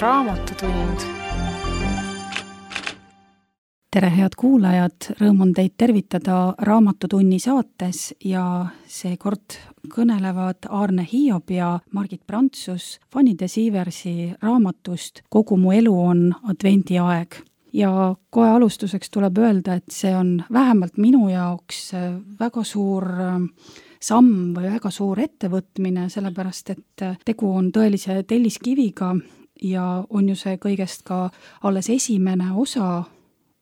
Raamatutund. Tere, head kuulajad! Rõõm on teid tervitada Raamatutunni saates ja seekord kõnelevad Aarne Hiob ja Margit Prantsus Fanny de Sieversi raamatust Kogu mu elu on advendiaeg. Ja kohe alustuseks tuleb öelda, et see on vähemalt minu jaoks väga suur samm või väga suur ettevõtmine, sellepärast et tegu on tõelise telliskiviga ja on ju see kõigest ka alles esimene osa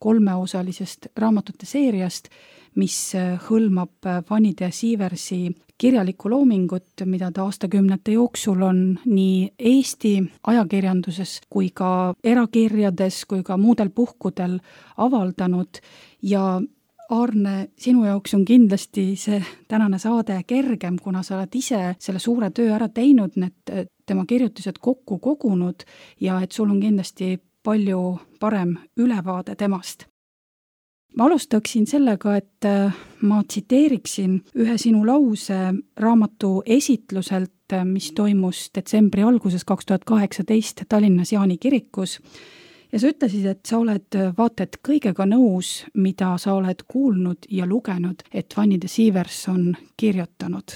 kolmeosalisest raamatute seeriast, mis hõlmab Fanny de Sieversi kirjalikku loomingut, mida ta aastakümnete jooksul on nii Eesti ajakirjanduses kui ka erakirjades kui ka muudel puhkudel avaldanud. Ja Aarne, sinu jaoks on kindlasti see tänane saade kergem, kuna sa oled ise selle suure töö ära teinud, need tema kirjutised kokku kogunud ja et sul on kindlasti palju parem ülevaade temast. Ma alustaksin sellega, et ma tsiteeriksin ühe sinu lause raamatu esitluselt, mis toimus detsembri alguses 2018 Tallinnas Jaani kirikus. Ja sa ütlesid, et sa oled vaata et kõigega nõus, mida sa oled kuulnud ja lugenud, et Fanny de Sievers on kirjutanud.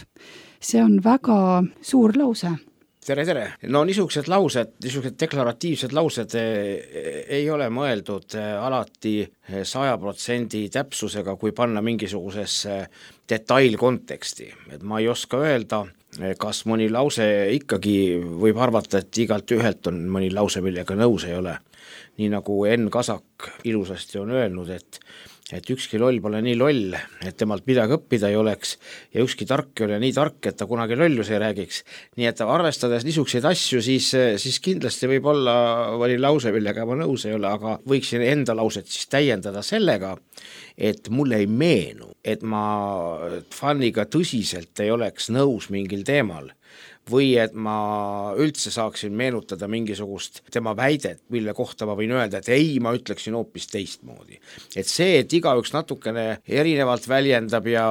See on väga suur lause. Tere! No niisugused laused, niisugused deklaratiivsed laused ei ole mõeldud alati 100% täpsusega, kui panna mingisugusesse detailkonteksti. Et ma ei oska öelda, kas mõni lause ikkagi võib arvata, et igalt ühelt on mõni lause, millega nõus ei ole. Nii nagu Enn Kasak ilusasti on öelnud, et ükski loll pole nii loll, et temalt midagi õppida ei oleks ja ükski tark ei ole nii tark, et ta kunagi lollus ei räägiks. Nii et arvestades niisuguseid asju, siis kindlasti võib olla mõni lause, millega ma nõus ei ole, aga võiksin enda lauset siis täiendada sellega, et mulle ei meenu, et ma Fanniga tõsiselt ei oleks nõus mingil teemal või et ma üldse saaksin meenutada mingisugust tema väidet, mille kohta ma võin öelda, et ei, ma ütleksin hoopis teistmoodi. Et see, et igaüks natukene erinevalt väljendab ja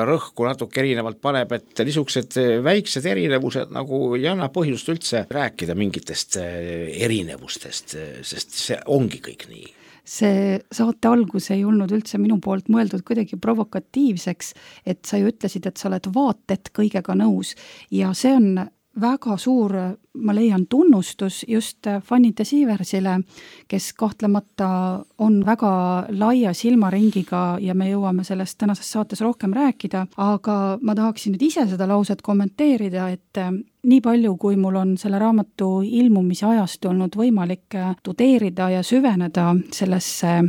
rõhku natuke erinevalt paneb, et niisugused väiksed erinevused nagu ei anna põhjust üldse rääkida mingitest erinevustest, sest see ongi kõik nii. See saate algus ei olnud üldse minu poolt mõeldud kuidagi provokatiivseks, et sa ju ütlesid, et sa oled vaatet kõigega nõus ja see on väga suur, ma leian, tunnustus just Fanny de Sieversile, kes kahtlemata on väga laia silmaringiga ja me jõuame sellest tänases saates rohkem rääkida, aga ma tahaksin nüüd ise seda lauset kommenteerida, et nii palju, kui mul on selle raamatu ilmumise ajast olnud võimalik tudeerida ja süveneda sellesse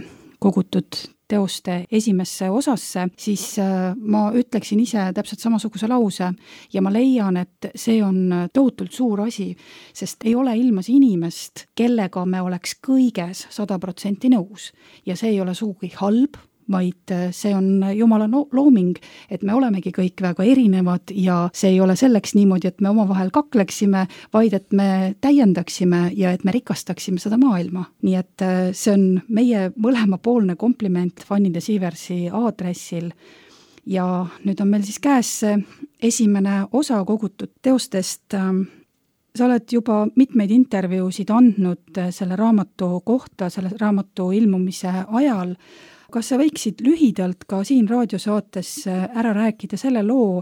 kogutud teoste esimesse osasse, siis ma ütleksin ise täpselt samasuguse lause ja ma leian, et see on tohutult suur asi, sest ei ole ilmas inimest, kellega me oleks kõiges 100% nõus ja see ei ole sugugi halb, vaid see on Jumala looming, et me olemegi kõik väga erinevad ja see ei ole selleks niimoodi, et me omavahel kakleksime, vaid et me täiendaksime ja et me rikastaksime seda maailma. Nii et see on meie mõlemapoolne kompliment Fanny de Sieversi aadressil ja nüüd on meil siis käes esimene osa kogutud teostest. Sa oled juba mitmeid intervjuusid andnud selle raamatu kohta, selle raamatu ilmumise ajal. Kas sa võiksid lühidalt ka siin raadiosaates ära rääkida selle loo,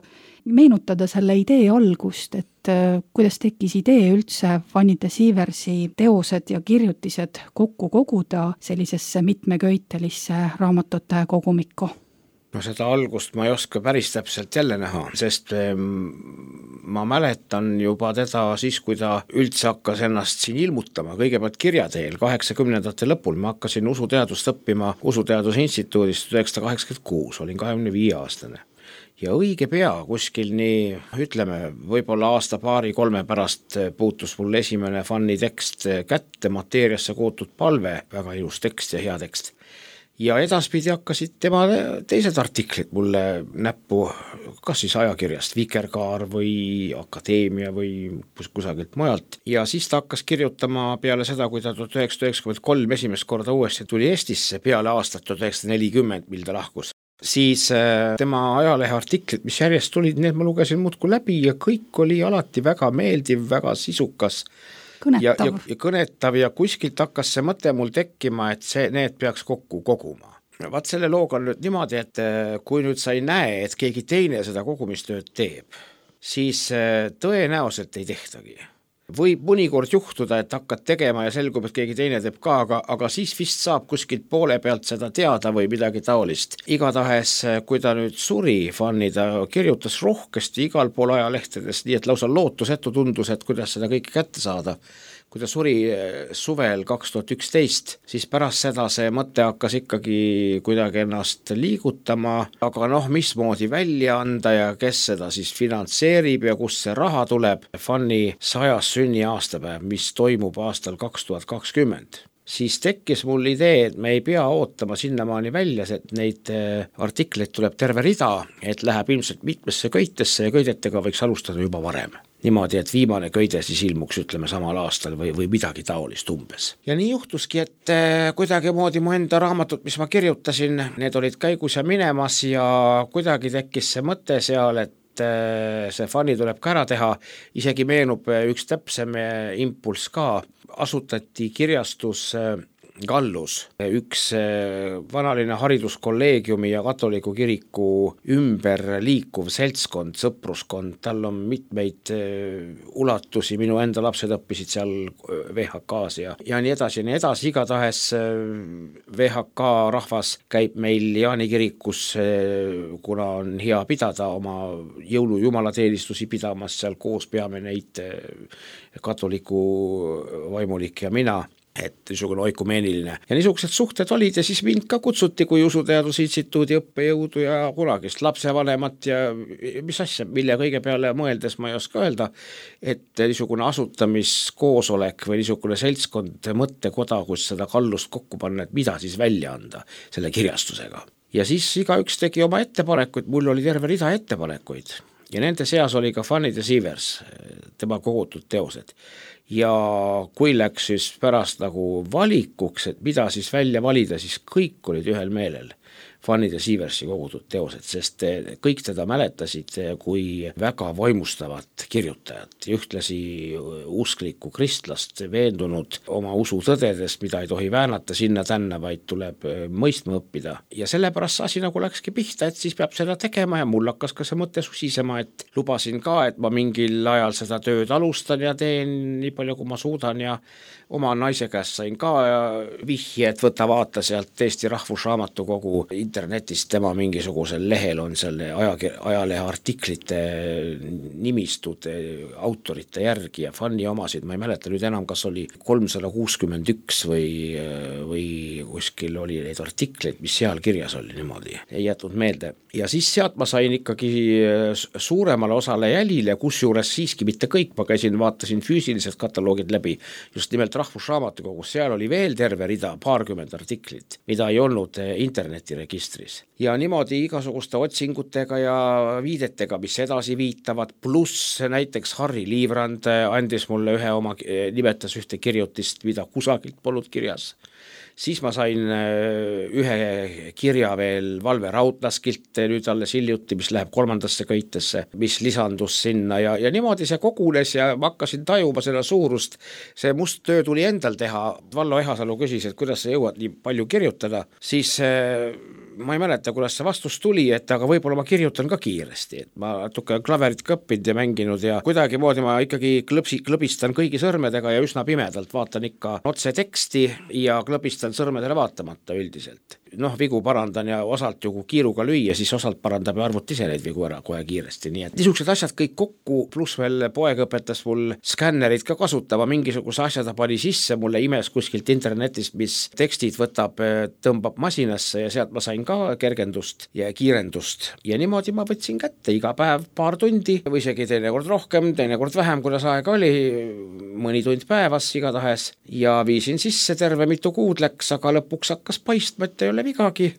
meenutada selle idee algust, et kuidas tekkis idee üldse Fanny de Sieversi teosed ja kirjutised kokku koguda sellisesse mitmeköitelisse raamatute kogumikku? No seda algust ma ei oska päris täpselt jälle näha, sest ma mäletan juba teda siis, kui ta üldse hakkas ennast siin ilmutama, kõigepealt kirjateel 80ndate lõpul. Ma hakkasin usuteadust õppima Usuteaduse Instituudist 1986, olin 25-aastane. Ja õige pea kuskil nii, ütleme, võib-olla aasta paari 3 pärast puutus mul esimene Fanny tekst kätte, Mateeriasse kootud palve, väga ilus tekst ja hea tekst. Ja edaspidi hakkasid tema teised artiklid mulle näppu, kas siis ajakirjast Vikerkaar või Akadeemia või kusagilt mujalt. Ja siis ta hakkas kirjutama peale seda, kui ta 1993 esimest korda uuesti tuli Eestisse peale aastat 1940, mil ta lahkus. Siis tema ajalehe artiklid, mis järjest tulid, need ma lugesin muudkui läbi ja kõik oli alati väga meeldiv, väga sisukas. kõnetav. Ja kõnetav ja kuskilt hakkas see mõte mul tekkima, et need peaks kokku koguma. Vaat selle looga on nüüd niimoodi, et kui nüüd sa ei näe, et keegi teine seda kogumistööd teeb, siis tõenäoliselt ei tehtagi. Võib mõnikord juhtuda, et hakkad tegema ja selgub, et keegi teine teeb ka, aga siis vist saab kuskilt poole pealt seda teada või midagi taolist. Igatahes, kui ta nüüd suri, Fanny, ta kirjutas rohkesti igal pool ajalehtedes, nii et lausa lootusetu tundus, et kuidas seda kõike kätte saada. Kui ta suri suvel 2011, siis pärast seda see mõte hakkas ikkagi kuidagi ennast liigutama, aga mismoodi välja anda ja kes seda siis finantseerib ja kust see raha tuleb. Fanny 100. sünniaastapäev, mis toimub aastal 2020. Siis tekkis mul idee, et me ei pea ootama sinnamaani välja, et neid artikleid tuleb terve rida, et läheb ilmselt mitmesse köitesse ja köidetega võiks alustada juba varem. Niimoodi, et viimane köide siis ilmuks, ütleme, samal aastal või midagi taolist umbes. Ja nii juhtuski, et kuidagi moodi mu enda raamatut, mis ma kirjutasin, need olid käigus ja minemas ja kuidagi tekkis see mõte seal, et see Fanny tuleb ka ära teha, isegi meenub üks täpsem impulss ka, asutati kirjastus Gallus, üks vanaline hariduskolleegiumi ja katoliku kiriku ümber liikuv seltskond, sõpruskond, tal on mitmeid ulatusi, minu enda lapsed õppisid seal VHK-s ja nii edasi, igatahes VHK rahvas käib meil Jaani kirikus, kuna on hea pidada oma jõulujumalateenistusi pidamas, seal koos peame neid katoliku vaimulik ja mina, et niisugune oikumeeniline. Ja niisugused suhted olid ja siis mind ka kutsuti kui Usuteaduse Instituudi õppejõudu ja kunagist lapsevanemat ja mis asja, mille kõige peale mõeldes ma ei oska öelda, et niisugune asutamiskoosolek või niisugune seltskond mõttekoda, kus seda Gallust kokku panna, et mida siis välja anda selle kirjastusega. Ja siis igaüks tegi oma ettepanekuid, mul oli terve rida ettepanekuid ja nende seas oli ka Fanny de Sievers, tema kogutud teosed. Ja kui läks siis pärast nagu valikuks, et mida siis välja valida, siis kõik olid ühel meelel Fanny de Sieversi kogutud teosed, sest kõik teda mäletasid kui väga vaimustavat kirjutajat ja ühtlasi usklikku kristlast, veendunud oma usu tõdedes, mida ei tohi väänata sinna-tänna, vaid tuleb mõistma õppida. Ja sellepärast see asi nagu läkski pihta, et siis peab seda tegema ja mul hakkas ka see mõte susisema, et lubasin ka, et ma mingil ajal seda tööd alustan ja teen nii palju, kui ma suudan ja oma naise käest sain ka vihje, et võta vaata sealt Eesti Rahvusraamatukogu internetist, tema mingisugusel lehel on selle ajalehe artiklite nimistud autorite järgi ja Fanny omasid, ma ei mäleta nüüd enam, kas oli 361 või kuskil oli neid artikleid, mis seal kirjas oli niimoodi, ei jätnud meelde. Ja siis sealt ma sain ikkagi suuremale osale jälile, kusjuures siiski mitte kõik, ma käisin, vaatasin füüsilised kataloogid läbi, just nimelt Rahvusraamatukogus, seal oli veel terve rida, paarkümmend artiklit, mida ei olnud internetiregistris. Ja niimoodi igasuguste otsingutega ja viidetega, mis edasi viitavad, pluss näiteks Harri Liivrand andis mulle nimetas ühte kirjutist, mida kusagilt polnud kirjas. Siis ma sain ühe kirja veel Valve Raudlaskilt nüüd alles hiljuti, mis läheb 3. köitesse, mis lisandus sinna ja niimoodi see kogunes ja ma hakkasin tajuma selle suurust. See must töö tuli endal teha. Vallo Ehasalu küsis, et kuidas sa jõuad nii palju kirjutada, siis ma ei mäleta, kuidas see vastus tuli, et aga võib-olla ma kirjutan ka kiiresti, et ma natuke klaverit ka õppinud ja mänginud ja kuidagi moodi ma ikkagi klõbistan kõigi sõrmedega ja üsna pimedalt vaatan ikka otse teksti ja klõbistan sõrmedele vaatamata üldiselt. Vigu parandan ja osalt ju kiiruga lüüa, siis osalt parandab ja arvut ise neid vigu ära kohe kiiresti, nii et niisugused asjad kõik kokku, pluss veel poeg õpetas mul skännerit ka kasutama, mingisuguse asja ta pani sisse, mulle imes kuskilt internetist, mis tekstid võtab, tõmbab masinasse ja sealt ma sain ka kergendust ja kiirendust ja niimoodi ma võtsin kätte iga päev paar tundi või isegi teinekord rohkem, teinekord vähem, kuidas aega oli, mõni tund päevas igatahes ja viisin sisse, terve mitu kuud läks, aga lõpuks hakkas paistma, et ei ole vigagi.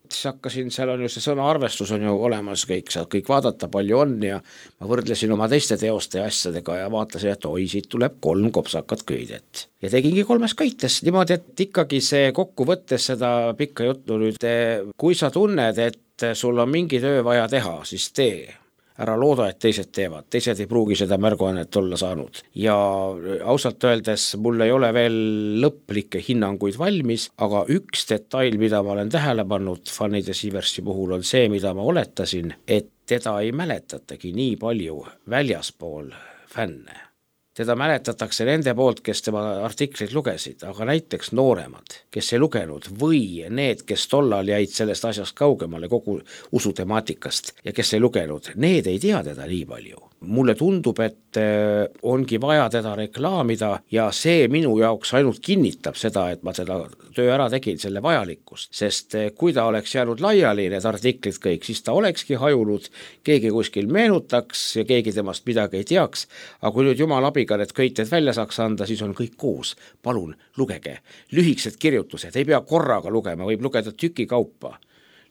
Siis hakkasin, seal on ju see sõna arvestus on ju olemas, saad kõik vaadata, palju on ja ma võrdlesin oma teiste teoste ja asjadega ja vaatasin, et siit tuleb 3 kopsakat köidet. Ja tegingi 3 köites, niimoodi, et ikkagi see kokkuvõttes seda pikka juttu nüüd, kui sa tunned, et sul on mingi töö vaja teha, siis tee. ära looda, et teised teevad, teised ei pruugi seda märguannet olla saanud. Ja ausalt öeldes mul ei ole veel lõplikke hinnanguid valmis, aga üks detail, mida ma olen tähele pannud Fanny de Sieversi puhul, on see, mida ma oletasin, et teda ei mäletatagi nii palju väljaspool fänne. Teda mäletatakse nende poolt, kes tema artikleid lugesid, aga näiteks nooremad, kes ei lugenud, või need, kes tollal jäid sellest asjast kaugemale kogu usutemaatikast ja kes ei lugenud, need ei tea teda nii palju. Mulle tundub, et ongi vaja teda reklaamida ja see minu jaoks ainult kinnitab seda, et ma seda töö ära tegin, selle vajalikkust, sest kui ta oleks jäänud laiali need artiklid kõik, siis ta olekski hajunud, keegi kuskil meenutaks ja keegi temast midagi ei teaks, aga kui nüüd jumal abiga need köited välja saaks anda, siis on kõik koos. Palun, lugege. Lühikesed kirjutused, ei pea korraga lugema, võib lugeda tüki kaupa.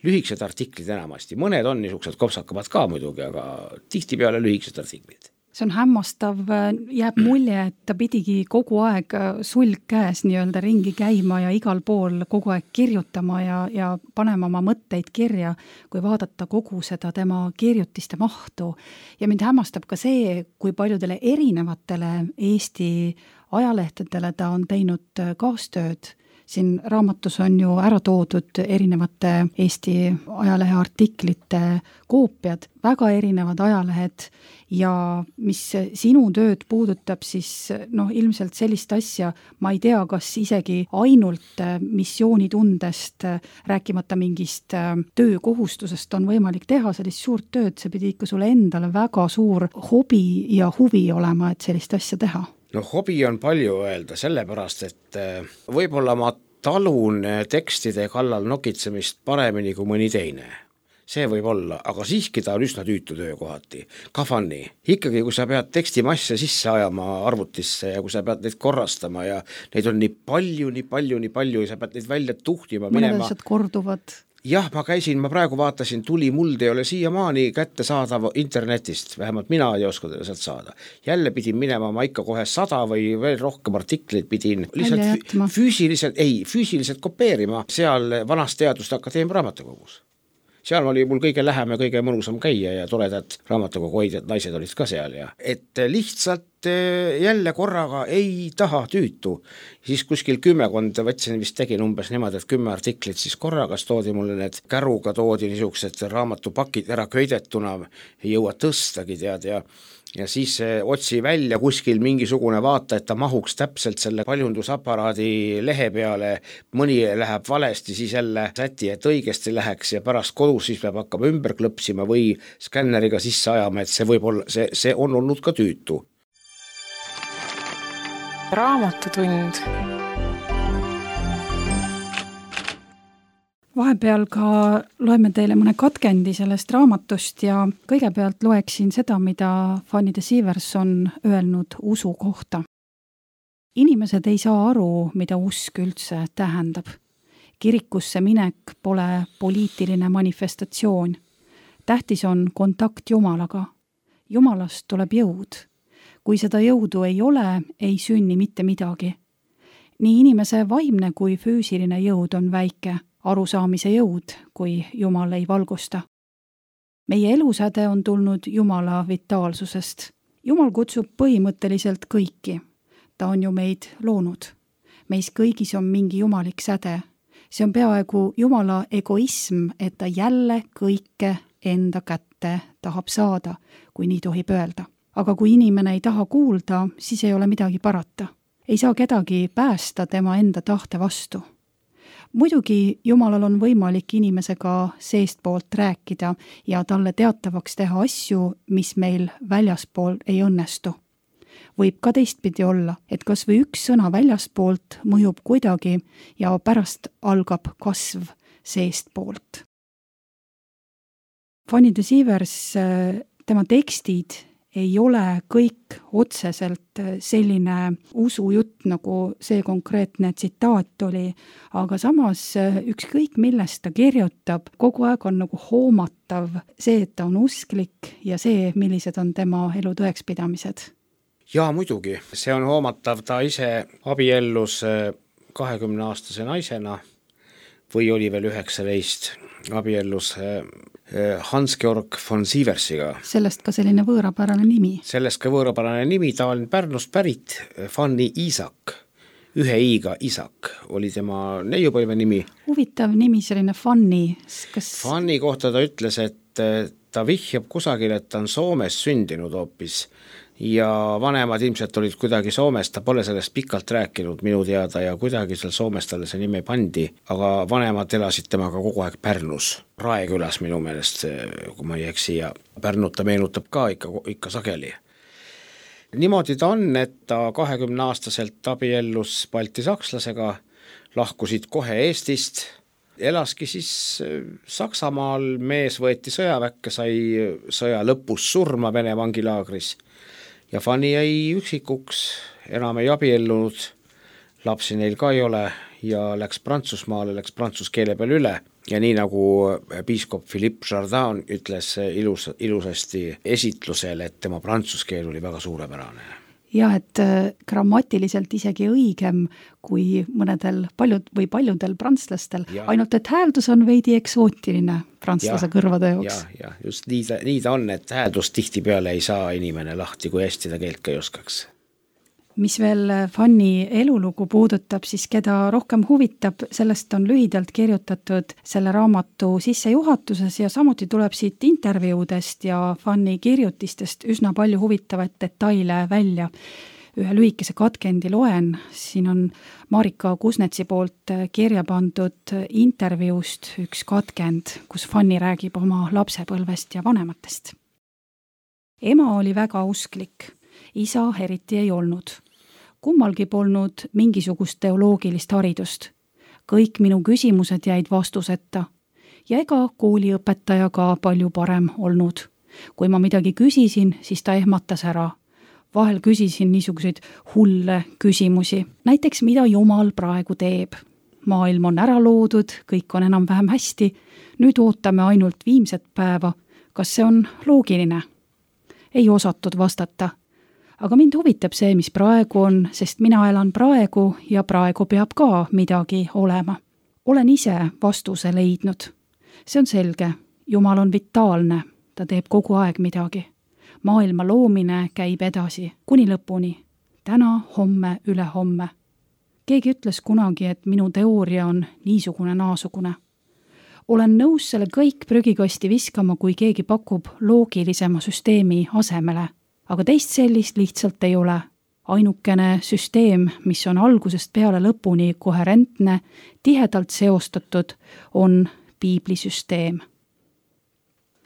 Lühikesed artiklid enamasti, mõned on niisugused kopsakamad ka muidugi, aga tihtipeale lühikesed artiklid. See on hämmastav, jääb mulje, et ta pidigi kogu aeg sulg käes nii-öelda ringi käima ja igal pool kogu aeg kirjutama ja panema oma mõtteid kirja, kui vaadata kogu seda tema kirjutiste mahtu. Ja mind hämmastab ka see, kui paljudele erinevatele Eesti ajalehtedele ta on teinud kaastööd. Siin raamatus on ju ära toodud erinevate Eesti ajalehe artiklite koopiad, väga erinevad ajalehed ja mis sinu tööd puudutab, siis ilmselt sellist asja, ma ei tea, kas isegi ainult missioonitundest, rääkimata mingist töökohustusest on võimalik teha sellist suurt tööd, see pidi ikka sulle endale väga suur hobi ja huvi olema, et sellist asja teha. Hobi on palju öelda, sellepärast, et võib-olla ma talun tekstide kallal nokitsemist paremini kui mõni teine. See võib olla, aga siiski ta on üsna tüütu töö kohati. Ka Fanny. Ikkagi, kui sa pead tekstimasse sisse ajama arvutisse ja kui sa pead neid korrastama ja neid on nii palju ja sa pead neid välja tuhtima minema. Mõned asjad korduvad. Jah, ma praegu vaatasin, Tuli muld ei ole siiamaani kätte saadav internetist, vähemalt mina ei oska sealt saada. Jälle pidin minema, ma ikka kohe 100 või veel rohkem artikleid pidin lihtsalt füüsiliselt kopeerima seal Vanast Teaduste Akadeemia raamatukogus. Seal oli mul kõige lähem ja kõige mõnusam käia ja toredad raamatukogu hoidjad naised olid ka seal ja et lihtsalt jälle korraga ei taha tüütu. Siis kuskil 10 võtsin, vist tegin umbes niimoodi, et 10 artiklit, siis korragas toodi mulle need käruga toodi niisugused raamatupakid ära köidetuna, ei jõua tõstagi tead ja siis otsi välja kuskil mingisugune vaata, et ta mahuks täpselt selle paljundusaparaadi lehe peale, mõni läheb valesti, siis jälle säti, et õigesti läheks ja pärast kodus siis peab hakkama ümber klõpsima või skänneriga sisse ajama, et see võib olla, see on olnud ka tüütu. Raamatutund. Vahepeal ka loeme teile mõne katkendi sellest raamatust ja kõigepealt loeksin seda, mida Fanny de Sievers on öelnud usu kohta. Inimesed ei saa aru, mida usk üldse tähendab. Kirikusse minek pole poliitiline manifestatsioon. Tähtis on kontakt Jumalaga. Jumalast tuleb jõud. Kui seda jõudu ei ole, ei sünni mitte midagi. Nii inimese vaimne kui füüsiline jõud on väike, arusaamise jõud, kui Jumal ei valgusta. Meie elusäde on tulnud Jumala vitaalsusest. Jumal kutsub põhimõtteliselt kõiki. Ta on ju meid loonud. Meis kõigis on mingi jumalik säde. See on peaaegu Jumala egoism, et ta jälle kõike enda kätte tahab saada, kui nii tohib öelda. Aga kui inimene ei taha kuulda, siis ei ole midagi parata. Ei saa kedagi päästa tema enda tahte vastu. Muidugi Jumalal on võimalik inimesega seestpoolt rääkida ja talle teatavaks teha asju, mis meil väljaspool ei õnnestu. Võib ka teistpidi olla, et kas või üks sõna väljaspoolt mõjub kuidagi ja pärast algab kasv seestpoolt. Fanny de Sievers, tema tekstid ei ole kõik otseselt selline usujutt, nagu see konkreetne tsitaat oli, aga samas ükskõik millest ta kirjutab, kogu aeg on nagu hoomatav see, et ta on usklik ja see, millised on tema elu tõekspidamised. Jaa, muidugi. See on hoomatav, ta ise abiellus 20-aastase naisena või oli veel 19, abiellus Hans-Georg von Sieversiga. Sellest ka selline võõrapärane nimi. Sellest ka võõrapärane nimi, ta on Pärnust pärit, Fanny Iisak, ühe i-ga Isak oli tema neiupõlve nimi. Huvitav nimi, selline Fanny. Fanny kohta ta ütles, et ta vihjab kusagil, et ta on Soomes sündinud hoopis ja vanemad ilmselt olid kuidagi Soomes, ta pole sellest pikalt rääkinud minu teada ja kuidagi seal Soomes talle see nimi pandi, aga vanemad elasid temaga kogu aeg Pärnus, Raekülas minu meelest, kui ma ei eksi, ja Pärnut ta meenutab ka ikka sageli. Niimoodi ta on, et ta 20-aastaselt abiellus baltisakslasega, lahkusid kohe Eestist, elaski siis Saksamaal, mees võeti sõjaväkke, sai sõja lõpus surma Vene vangilaagris ja Fanny jäi üksikuks, enam ei abiellunud, lapsi neil ka ei ole ja läks Prantsusmaale, läks prantsuse keele peale üle ja nii nagu piiskop Philippe Jardin ütles ilusasti esitlusel, et tema prantsuse keel oli väga suurepärane. Ja, et grammatiliselt isegi õigem kui paljudel prantslastel, ainult et hääldus on veidi eksootiline prantslase kõrvade jaoks. Ja, just nii ta on, et hääldust tihtipeale ei saa inimene lahti, kui hästi ta keelt ka ei oskaks. Mis veel Fanny elulugu puudutab, siis keda rohkem huvitab, sellest on lühidalt kirjutatud selle raamatu sissejuhatuses ja samuti tuleb siit intervjuudest ja Fanny kirjutistest üsna palju huvitavaid detaile välja. Ühe lühikese katkendi loen, siin on Marika Kusnetsi poolt kirja pandud intervjuust üks katkend, kus Fanny räägib oma lapsepõlvest ja vanematest. Ema oli väga usklik. Isa eriti ei olnud. Kummalgi polnud mingisugust teoloogilist haridust. Kõik minu küsimused jäid vastuseta. Ja ega kooliõpetaja ka palju parem olnud. Kui ma midagi küsisin, siis ta ehmatas ära. Vahel küsisin niisuguseid hulle küsimusi. Näiteks, mida Jumal praegu teeb? Maailm on ära loodud, kõik on enam-vähem hästi. Nüüd ootame ainult viimset päeva. Kas see on loogiline? Ei osatud vastata. Aga mind huvitab see, mis praegu on, sest mina elan praegu ja praegu peab ka midagi olema. Olen ise vastuse leidnud. See on selge. Jumal on vitaalne. Ta teeb kogu aeg midagi. Maailma loomine käib edasi, kuni lõpuni. Täna, homme, ülehomme. Keegi ütles kunagi, et minu teooria on niisugune naasugune. Olen nõus selle kõik prügikasti viskama, kui keegi pakub loogilisema süsteemi asemele. Aga teist sellist lihtsalt ei ole. Ainukene süsteem, mis on algusest peale lõpuni koherentne, tihedalt seostatud, on piiblisüsteem.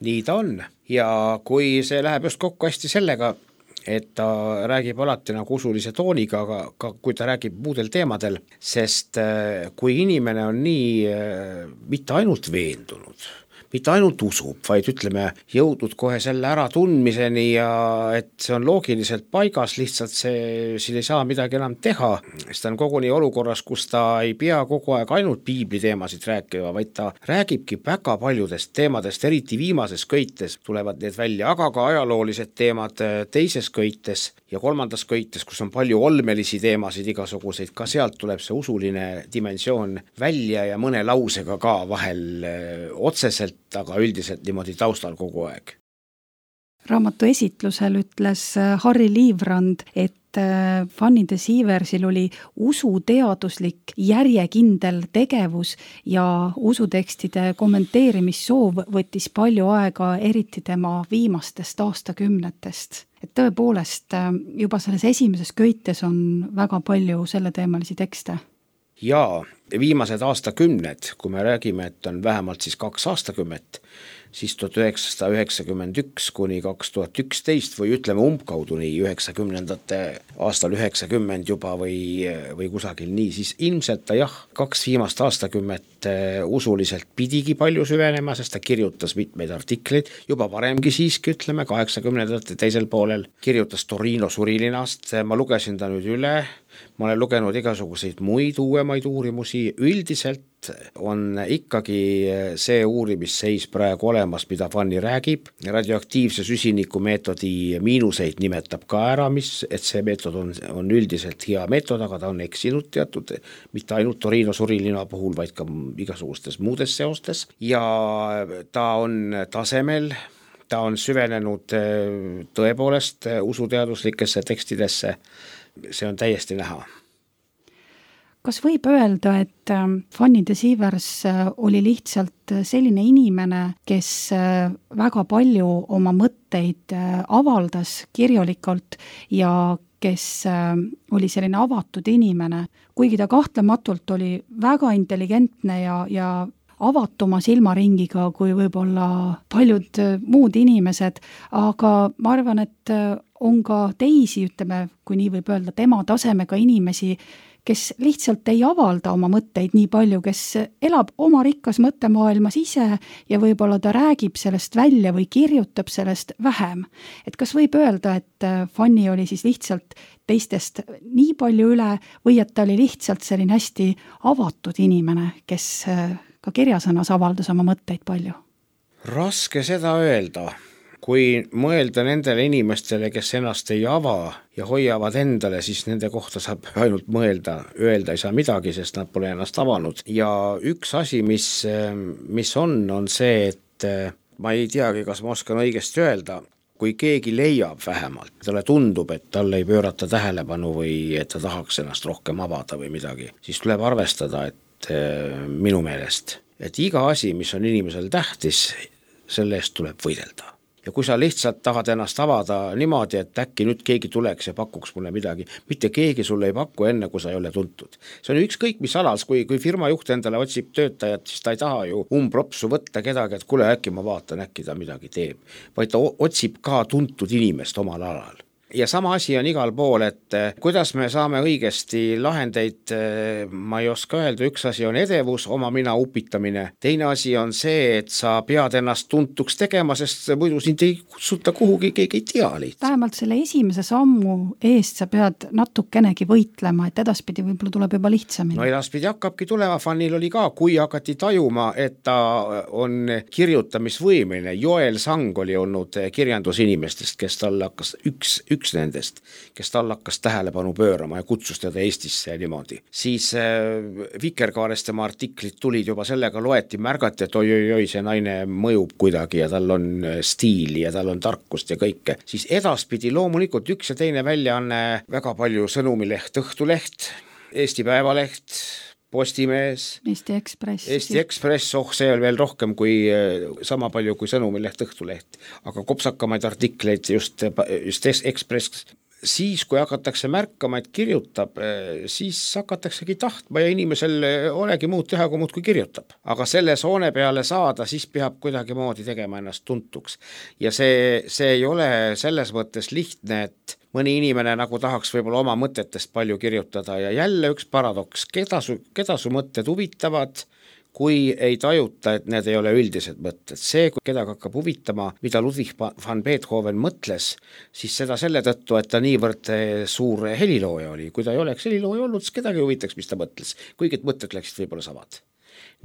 Nii ta on ja kui see läheb just kokku hästi sellega, et ta räägib alati nagu usulise tooniga, aga kui ta räägib muudel teemadel, sest kui inimene on nii mitte ainult veendunud, mitte ainult usub, vaid ütleme jõudnud kohe selle ära tundmiseni ja et see on loogiliselt paigas, lihtsalt siin ei saa midagi enam teha, sest ta on koguni olukorras, kus ta ei pea kogu aeg ainult piibli teemasid rääkima, vaid ta räägibki väga paljudest teemadest, eriti viimases köites tulevad need välja, aga ka ajaloolised teemad teises köites ja kolmandas köites, kus on palju olmelisi teemasid igasuguseid, ka sealt tuleb see usuline dimensioon välja ja mõne lausega ka vahel otseselt, aga üldiselt niimoodi taustal kogu aeg. Raamatu esitlusel ütles Harri Liivrand, et Fanny de Sieversil oli usuteaduslik järjekindel tegevus ja usutekstide kommenteerimissoov võttis palju aega, eriti tema viimastest aastakümnetest. Et tõepoolest juba selles esimeses köites on väga palju selleteemalisi tekste. Jaa, viimased aastakümned, kui me räägime, et on vähemalt siis 2 aastakümmet, siis 1991 kuni 2011 või ütleme umbkaudu nii 90. aastal 90 juba või kusagil nii, siis ilmselt ta 2 viimast aastakümmet usuliselt pidigi palju süvenema, sest ta kirjutas mitmeid artikleid, juba varemgi siiski ütleme 80. teisel poolel, kirjutas Torino surilinast, ma lugesin ta nüüd üle, ma olen lugenud igasuguseid muid uuemaid uurimusi, üldiselt on ikkagi see uurimisseis praegu olemas, mida Fanny räägib. Radioaktiivse süsiniku meetodi miinuseid nimetab ka ära, et see meetod on üldiselt hea meetod, aga ta on eksinud teatud, mitte ainult Torino surilina puhul, vaid ka igasugustes muudes seostes ja ta on tasemel, ta on süvenenud tõepoolest usuteaduslikesse tekstidesse, see on täiesti näha. Kas võib öelda, et Fanny de Sievers oli lihtsalt selline inimene, kes väga palju oma mõtteid avaldas kirjalikult ja kes oli selline avatud inimene, kuigi ta kahtlematult oli väga intelligentne ja avatuma silmaringiga kui võib-olla paljud muud inimesed, aga ma arvan, et on ka teisi, ütleme, kui nii võib öelda, tema tasemega inimesi, kes lihtsalt ei avalda oma mõtteid nii palju, kes elab oma rikkas mõttemaailmas ise ja võib-olla ta räägib sellest välja või kirjutab sellest vähem. Et kas võib öelda, et Fanny oli siis lihtsalt teistest nii palju üle või et ta oli lihtsalt selline hästi avatud inimene, kes ka kirjasõnas avaldas oma mõtteid palju? Raske seda öelda. Kui mõelda nendele inimestele, kes ennast ei ava ja hoiavad endale, siis nende kohta saab ainult mõelda, öelda ei saa midagi, sest nad pole ennast avanud. Ja üks asi, mis on see, et ma ei teagi, kas ma oskan õigesti öelda, kui keegi leiab vähemalt, talle tundub, et talle ei pöörata tähelepanu või et ta tahaks ennast rohkem avada või midagi, siis tuleb arvestada, et minu meelest, et iga asi, mis on inimesel tähtis, selle eest tuleb võidelda. Ja kui sa lihtsalt tahad ennast avada niimoodi, et äkki nüüd keegi tuleks ja pakuks mulle midagi, mitte keegi sulle ei paku enne, kui sa ei ole tuntud. See on ükskõik mis alas, kui firma juht endale otsib töötajat, siis ta ei taha ju umbropsu võtta kedagi, et kuule, äkki ma vaatan, äkki ta midagi teeb, vaid ta otsib ka tuntud inimest omal alal. Ja sama asi on igal pool, et kuidas me saame õigesti lahendeid, ma ei oska öelda, üks asi on edevus, oma mina upitamine, teine asi on see, et sa pead ennast tuntuks tegema, sest muidu sind ei kutsuta kuhugi, keegi ei tea lihtsalt. Vähemalt selle esimese sammu eest sa pead natukenegi võitlema, et edaspidi võib-olla tuleb juba lihtsamini. No edaspidi hakkabki tulema, Fannil oli ka, kui hakati tajuma, et ta on kirjutamisvõimeline. Joel Sang oli olnud kirjandusinimestest, kes tal hakkas üks nendest, kes tal hakkas tähelepanu pöörama ja kutsus teda Eestisse ja niimoodi. Siis Vikerkaarest tema artiklid tulid juba sellega, loeti, märgati, et oi, see naine mõjub kuidagi ja tal on stiili ja tal on tarkust ja kõike. Siis edaspidi loomulikult üks ja teine väljaanne, väga palju Sõnumileht, Õhtuleht, Eesti Päevaleht, Postimees, Eesti Ekspress, see on veel rohkem kui sama palju kui Sõnumileht, Õhtuleht, aga kopsakamaid artikleid just Ekspress. Siis, kui hakatakse märkama, et kirjutab, siis hakataksegi tahtma ja inimesel olegi muud teha, kui muud kui kirjutab. Aga selle soone peale saada, siis peab kuidagi moodi tegema ennast tuntuks. Ja see ei ole selles mõttes lihtne, et mõni inimene nagu tahaks võib-olla oma mõtetest palju kirjutada ja jälle üks paradoks, keda su mõtted huvitavad, kui ei tajuta, et need ei ole üldised mõtted. See, kui kedagi hakkab huvitama, mida Ludwig van Beethoven mõtles, siis seda selle tõttu, et ta niivõrd suur helilooja oli. Kui ta ei oleks helilooja olnud, siis kedagi huvitaks, mis ta mõtles. Kuigi mõtted läksid võib-olla samad.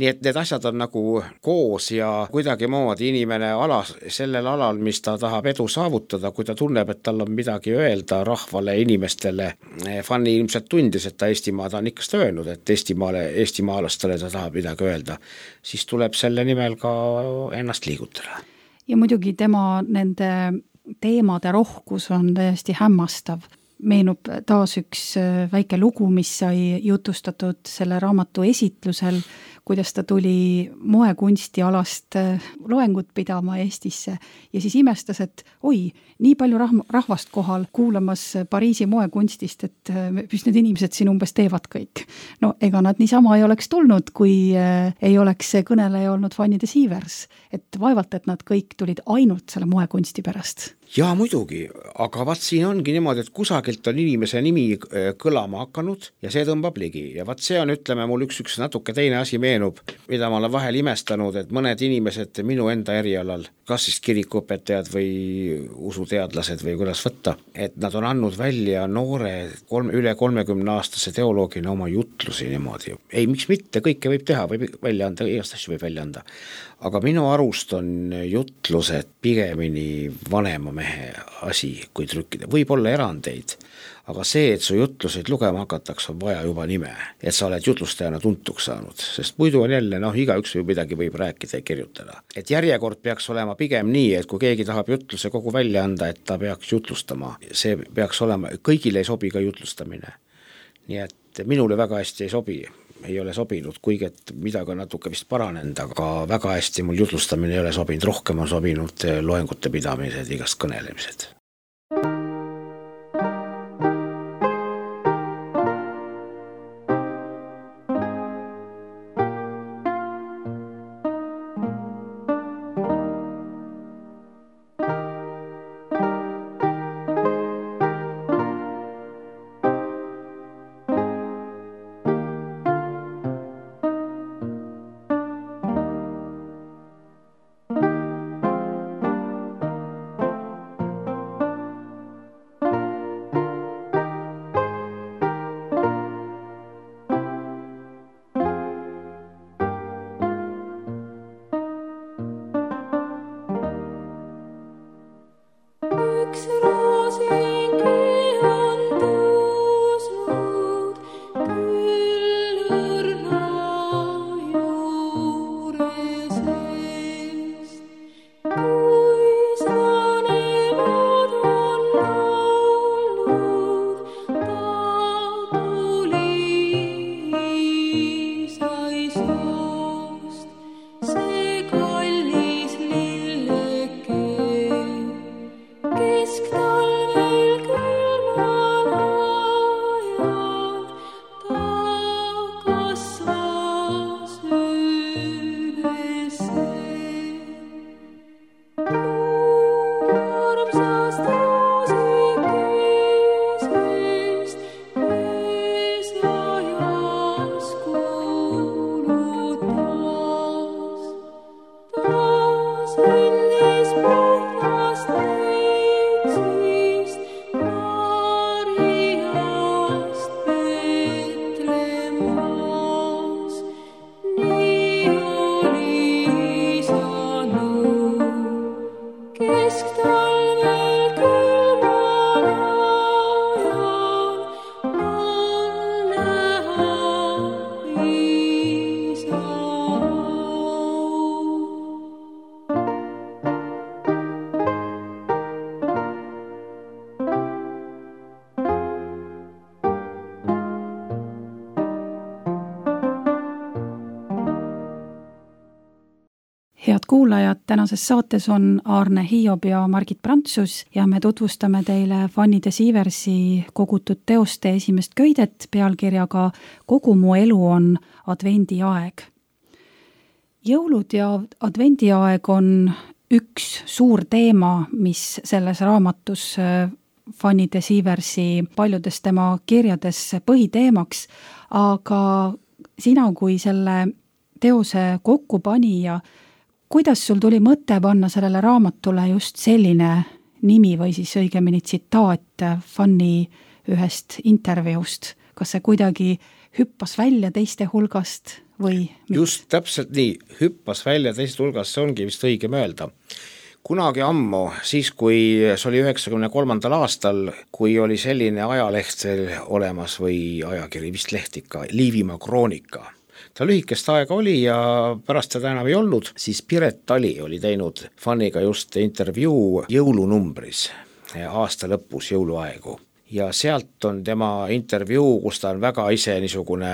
Nii et need asjad on nagu koos ja kuidagi moodi inimene sellel alal, mis ta tahab edu saavutada, kui ta tunneb, et tal on midagi öelda rahvale, inimestele. Fanny ilmselt tundis, et ta Eestimaad on ikka öelnud, et eestimaalastele ta tahab midagi öelda, siis tuleb selle nimel ka ennast liigutada. Ja muidugi tema nende teemade rohkus on täiesti hämmastav. Meenub taas üks väike lugu, mis sai jutustatud selle raamatu esitlusel, kuidas ta tuli moekunsti alast loengut pidama Eestisse ja siis imestas, et nii palju rahvast kohal kuulamas Pariisi moekunstist, et mis need inimesed siin umbes teevad kõik. No ega nad niisama ei oleks tulnud, kui ei oleks see kõneleja olnud Fanny de Sievers, et vaevalt, et nad kõik tulid ainult selle moekunsti pärast. Ja muidugi, aga vaat siin ongi niimoodi, et kusagilt on inimese nimi kõlama hakanud ja see tõmbab ligi ja vaat see on, ütleme, mul üks natuke teine asi meenub, mida ma olen vahel imestanud, et mõned inimesed minu enda erialal, kas siis kirikuõpetajad või usuteadlased või kuidas võtta, et nad on andnud välja noore üle 30-aastase teoloogina oma jutlusi niimoodi. Ei, miks mitte, kõike võib teha, võib välja anda, igast asju võib välja anda. Aga minu arust on jutlused pigemini vanema mehe asi kui trükkida. Võib olla erandeid, aga see, et su jutluseid lugema hakatakse, on vaja juba nime, et sa oled jutlustajana tuntuks saanud, sest muidu on jälle, igaüks midagi võib rääkida ja kirjutada. Et järjekord peaks olema pigem nii, et kui keegi tahab jutluse kogu välja anda, et ta peaks jutlustama, see peaks olema, kõigile ei sobi ka jutlustamine. Nii et minule väga hästi ei sobi, ei ole sobinud, kuigi et midagi on natuke vist paranenud, aga väga hästi mul jutlustamine ei ole sobinud, rohkem on sobinud loengute pidamised, igast kõnelemised. Head kuulajad, tänases saates on Aarne Hiob ja Margit Prantsus ja me tutvustame teile Fanny de Siiversi kogutud teoste esimest köidet pealkirjaga Kogu mu elu on advendiaeg. Jõulud ja advendiaeg on üks suur teema, mis selles raamatus Fanny de Siiversi paljudes tema kirjades põhiteemaks, aga sina kui selle teose kokkupanija, kuidas sul tuli mõte panna sellele raamatule just selline nimi või siis õigemini tsitaat Fanny ühest intervjuust? Kas see kuidagi hüppas välja teiste hulgast või? Just täpselt nii, hüppas välja teiste hulgast, see ongi vist õige mõelda. Kunagi ammu, siis kui see oli 93. aastal, kui oli selline ajaleht veel olemas või ajakiri, vist leht ikka, Liivimaa Kroonika. Ta lühikest aega oli ja pärast seda enam ei olnud, siis Piret Tali oli teinud Fanniga just intervjuu jõulunumbris aasta lõpus jõuluaegu. Ja sealt on tema intervjuu, kus ta on väga ise niisugune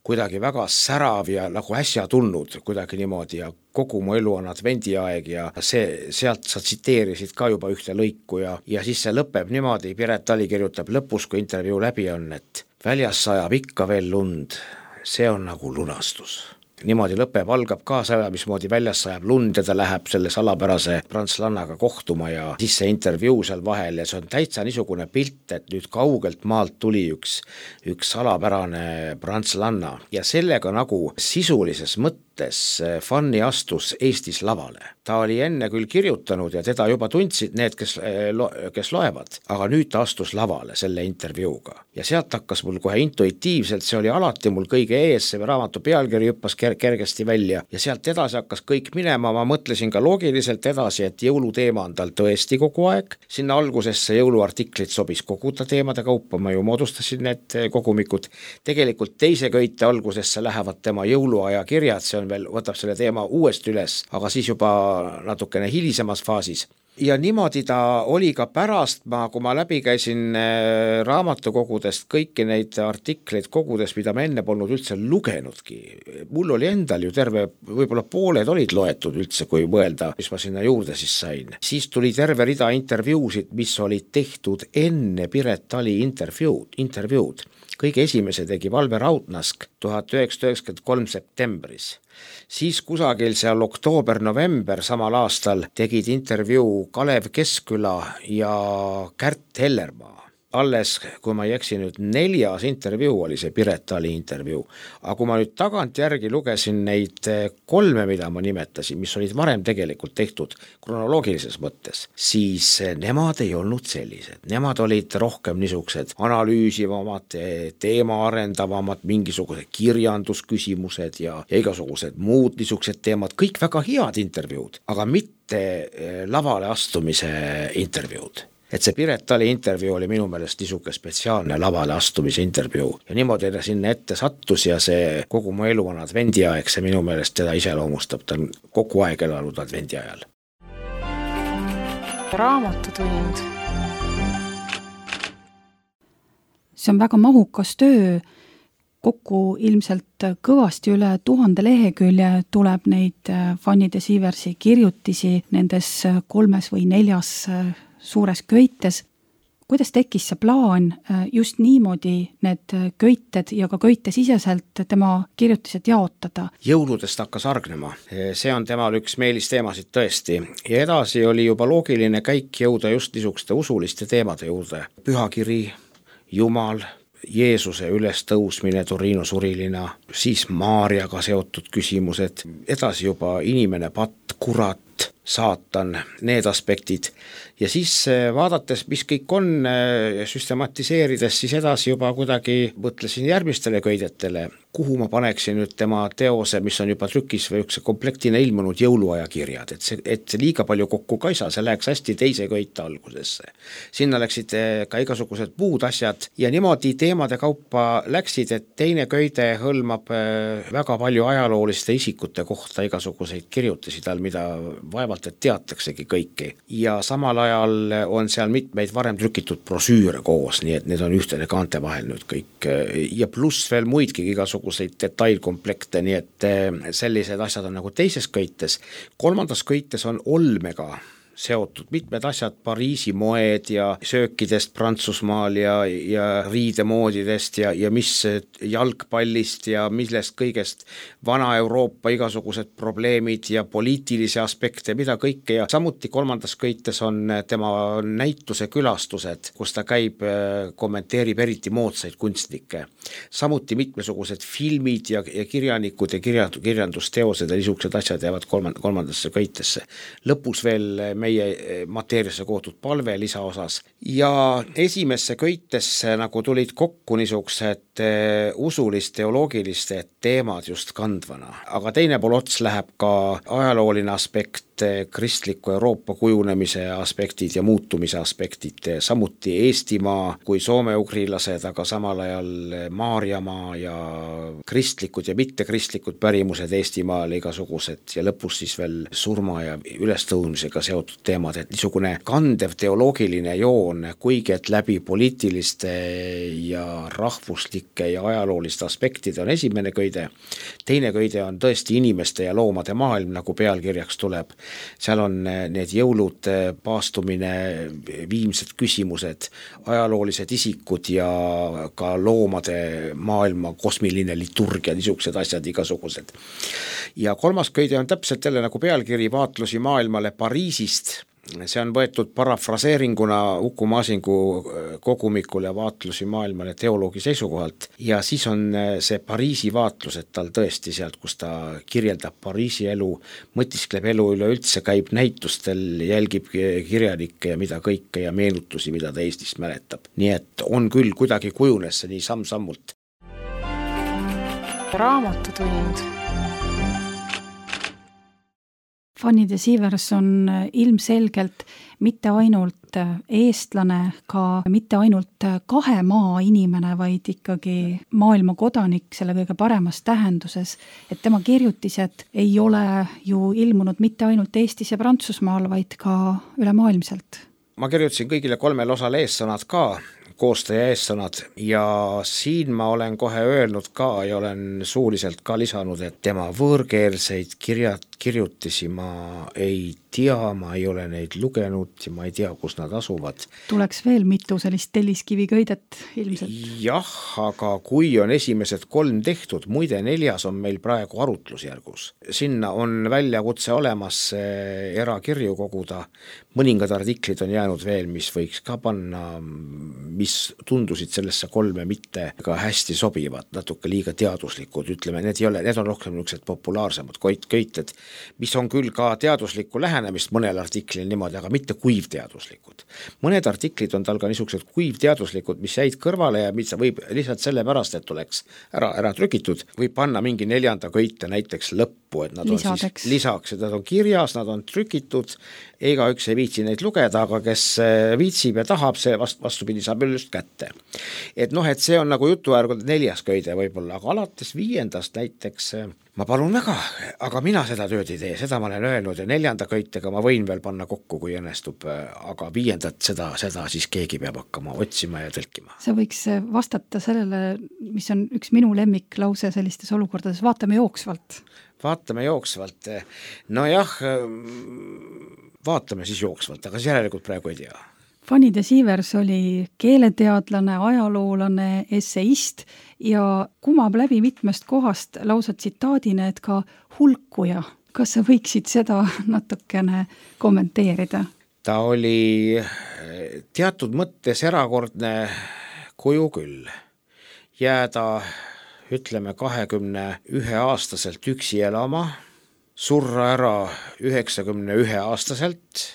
kuidagi väga särav ja nagu äsja tulnud kuidagi niimoodi ja kogu mu elu on advendiaeg ja sealt sa tsiteerisid ka juba ühte lõiku ja siis see lõpeb niimoodi, Piret Tali kirjutab lõpus, kui intervjuu läbi on, et väljas sajab ikka veel lund. See on nagu lunastus. niimoodi lõpeb, algab kaasa, mismoodi väljas sajab lund ja ta läheb selle salapärase prantslannaga kohtuma ja siis see intervjuu seal vahel ja see on täitsa niisugune pilt, et nüüd kaugelt maalt tuli üks salapärane prantslanna ja sellega nagu sisulises mõttes Fanny astus Eestis lavale. Ta oli enne küll kirjutanud ja teda juba tundsid need, kes loevad, aga nüüd ta astus lavale selle intervjuuga. Ja sealt hakkas mul kohe intuitiivselt, see oli alati mul kõige ees, see raamatu pealkiri hüppas kergesti välja ja sealt edasi hakkas kõik minema, ma mõtlesin ka loogiliselt edasi, et jõuluteema on tal tõesti kogu aeg. Sinna algusesse jõuluartiklit sobis koguda teemade kaupa, ma ju moodustasin need kogumikud. Tegelikult teise köite algusesse lähevad tema jõuluaja kirjad, see on veel, võtab selle teema uuesti üles, aga siis juba natukene hilisemas faasis. Ja niimoodi ta oli ka pärast, kui ma läbi käisin raamatukogudest kõiki neid artikleid kogudes, mida ma enne polnud üldse lugenudki. Mul oli endal ju terve, võib-olla pooled olid loetud üldse, kui mõelda, mis ma sinna juurde siis sain. Siis tuli terve rida intervjuusid, mis olid tehtud enne Piret Tali intervjuud. Kõige esimese tegi Valve Raudnask 1993 septembris. Siis kusagil seal oktoober-november samal aastal tegid intervjuu Kalev Keskküla ja Kärt Hellermaa. Alles, kui ma ei eksi nüüd, 4. intervjuu oli see Piret Tali intervjuu, aga kui ma nüüd tagant järgi lugesin neid 3, mida ma nimetasin, mis olid varem tegelikult tehtud kronoloogilises mõttes, siis nemad ei olnud sellised. Nemad olid rohkem niisugused analüüsivamad, teema arendavamad, mingisugused kirjandusküsimused ja igasugused muud niisugused teemad, kõik väga head intervjuud, aga mitte lavale astumise intervjuud. Et see Piret Tali intervjuu oli minu meelest niisugune spetsiaalne lavale astumise intervjuu ja niimoodi ta sinna ette sattus ja see kogu mu elu on advendiaeg, see minu meelest teda iseloomustab, ta on kogu aeg elanud advendi ajal. Raamatutund. See on väga mahukas töö, kokku ilmselt kõvasti üle 1000 lehekülje tuleb neid Fanny de Sieversi kirjutisi nendes 3 või 4 suures köites. Kuidas tekkis see plaan just niimoodi need köited ja ka köite siseselt tema kirjutised jaotada? Jõuludest hakkas argnema. See on temal üks meelisteemasid tõesti. Ja edasi oli juba loogiline käik jõuda just niisuguste usuliste teemade juurde. Pühakiri, Jumal, Jeesuse ülestõusmine Torino surilina, siis Maarjaga seotud küsimused, edasi juba inimene, patt, kurat, saatan, need aspektid. Ja siis vaadates, mis kõik on, süstematiseerides, siis edasi juba kuidagi mõtlesin järgmistele köidetele, kuhu ma paneksin nüüd tema teose, mis on juba trükis või üks komplektina ilmunud jõuluaja kirjad, et see liiga palju kokku ka ei saa, see läheks hästi teise köite algusesse. Sinna läksid ka igasugused muud asjad ja niimoodi teemade kaupa läksid, et teine köide hõlmab väga palju ajalooliste isikute kohta igasuguseid kirjutisi tal, mida vaevalt, et teataksegi kõiki. Ja samal ajal on seal mitmeid varem trükitud brosüüre koos, nii et need on ühtede kaante vahel nüüd kõik ja pluss veel muidki igasuguseid detailkomplekte, nii et sellised asjad on nagu teises köites. 3. köites on olmega seotud mitmed asjad, Pariisi moed ja söökidest Prantsusmaal ja riidemoodidest ja mis jalgpallist ja millest kõigest Vana-Euroopa igasugused probleemid ja poliitilisi aspekte, mida kõike ja samuti 3. köites on tema näituse külastused, kus ta käib, kommenteerib eriti moodsaid kunstnikke. Samuti mitmesugused filmid ja kirjanikud ja kirjandusteosed ja niisugused asjad jäävad 3. köitesse. Lõpus veel meie mateeriasse kootud palve lisaosas ja esimesse köitesse nagu tulid kokku niisugused usulist teoloogiliste teemad just kandvana, aga teine pool ots läheb ka ajalooline aspekt, kristliku Euroopa kujunemise aspektid ja muutumise aspektid, samuti Eestimaa kui soome-ugrilased, aga samal ajal Maarjamaa ja kristlikud ja mittekristlikud pärimused Eestimaal igasugused ja lõpus siis veel surma ja ülestõusmisega seotud seotud teemad, et niisugune kandev teoloogiline joon, kuigi et läbi poliitiliste ja rahvuslike ja ajalooliste aspektide on esimene köide, teine köide on tõesti inimeste ja loomade maailm, nagu pealkirjaks tuleb. Seal on need jõulud, paastumine, viimsed küsimused, ajaloolised isikud ja ka loomade maailma kosmiline liturgia, niisugused asjad igasugused. Ja kolmas köide on täpselt jälle nagu pealkiri vaatlusi maailmale Pariisist. See on võetud parafraseeringuna Uku Masingu kogumikule vaatlusi maailmale teoloogi seisukohalt ja siis on see Pariisi vaatlus, et tal tõesti sealt, kus ta kirjeldab Pariisi elu, mõtiskleb elu üleüldse, käib näitustel, jälgib kirjanikke ja mida kõike ja meenutusi, mida ta Eestist mäletab. Nii et on küll kuidagi kujunes see nii samm-sammult. Raamatutund. Fanny de Sievers on ilmselgelt mitte ainult eestlane, ka mitte ainult kahe maa inimene, vaid ikkagi maailma kodanik selle kõige paremas tähenduses, et tema kirjutised ei ole ju ilmunud mitte ainult Eestis ja Prantsusmaal, vaid ka ülemaailmselt. Ma kirjutasin kõigile 3 osale eessõnad ka, koostaja eessõnad ja siin ma olen kohe öelnud ka ja olen suuliselt ka lisanud, et tema võõrkeelseid kirjutisi ma ei tea, ma ei ole neid lugenud ja ma ei tea, kus nad asuvad. Tuleks veel mitu sellist telliskiviköidet ilmselt. Jah, aga kui on esimesed 3 tehtud, muide 4 on meil praegu arutlusjärgus. Sinna on väljakutse olemas erakirju koguda, mõningad artiklid on jäänud veel, mis võiks ka panna, mis tundusid sellesse 3 mitte ka hästi sobivad, natuke liiga teaduslikud, ütleme, need on rohkem niisugused populaarsemad köited, mis on küll ka teaduslikku lähenemist mõnel artiklil niimoodi, aga mitte kuivteaduslikud. Mõned artiklid on tal ka niisugused kuivteaduslikud, mis jäid kõrvale ja mis võib lihtsalt sellepärast, et oleks ära trükitud, võib panna mingi 4. köite näiteks lõppu, et nad lisadeks. On siis lisaks, et nad on kirjas, nad on trükitud, ega üks ei viitsi neid lugeda, aga kes viitsib ja tahab, see vastupidi saab just kätte. Et et see on nagu jutuäärgu 4. köide võib-olla, aga alates 5. näiteks ma palun väga, aga mina seda tööd ei tee, seda ma olen öelnud ja 4. köitega ma võin veel panna kokku, kui õnnestub, aga 5. seda siis keegi peab hakkama otsima ja tõlkima. Sa võiks vastata sellele, mis on üks minu lemmiklause sellistes olukordades, vaatame jooksvalt. Vaatame jooksvalt, nojah, vaatame siis jooksvalt, aga siis järelikult praegu ei tea. Fanny de Sievers oli keeleteadlane, ajaloolane, esseist ja kumab läbi mitmest kohast lausa tsitaadina, et ka hulkuja. Kas sa võiksid seda natukene kommenteerida? Ta oli teatud mõttes erakordne kuju küll. Jääda, ütleme, 21-aastaselt üksi elama, surra ära 91-aastaselt,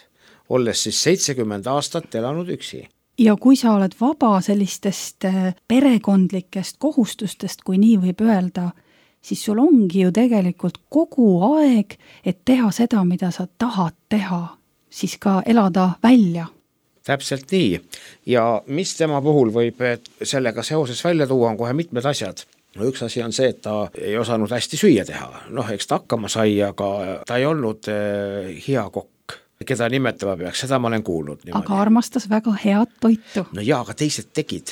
olles siis 70 aastat elanud üksi. Ja kui sa oled vaba sellistest perekondlikest kohustustest, kui nii võib öelda, siis sul ongi ju tegelikult kogu aeg, et teha seda, mida sa tahad teha, siis ka elada välja. Täpselt nii. Ja mis tema puhul võib sellega seoses välja tuua, on kohe mitmed asjad. No üks asi on see, et ta ei osanud hästi süüa teha. Eks ta hakkama sai, aga ta ei olnud hea kokk. Keda nimetama peaks, seda ma olen kuulnud. Niimoodi. Aga armastas väga head toitu. No jaa, aga teised tegid.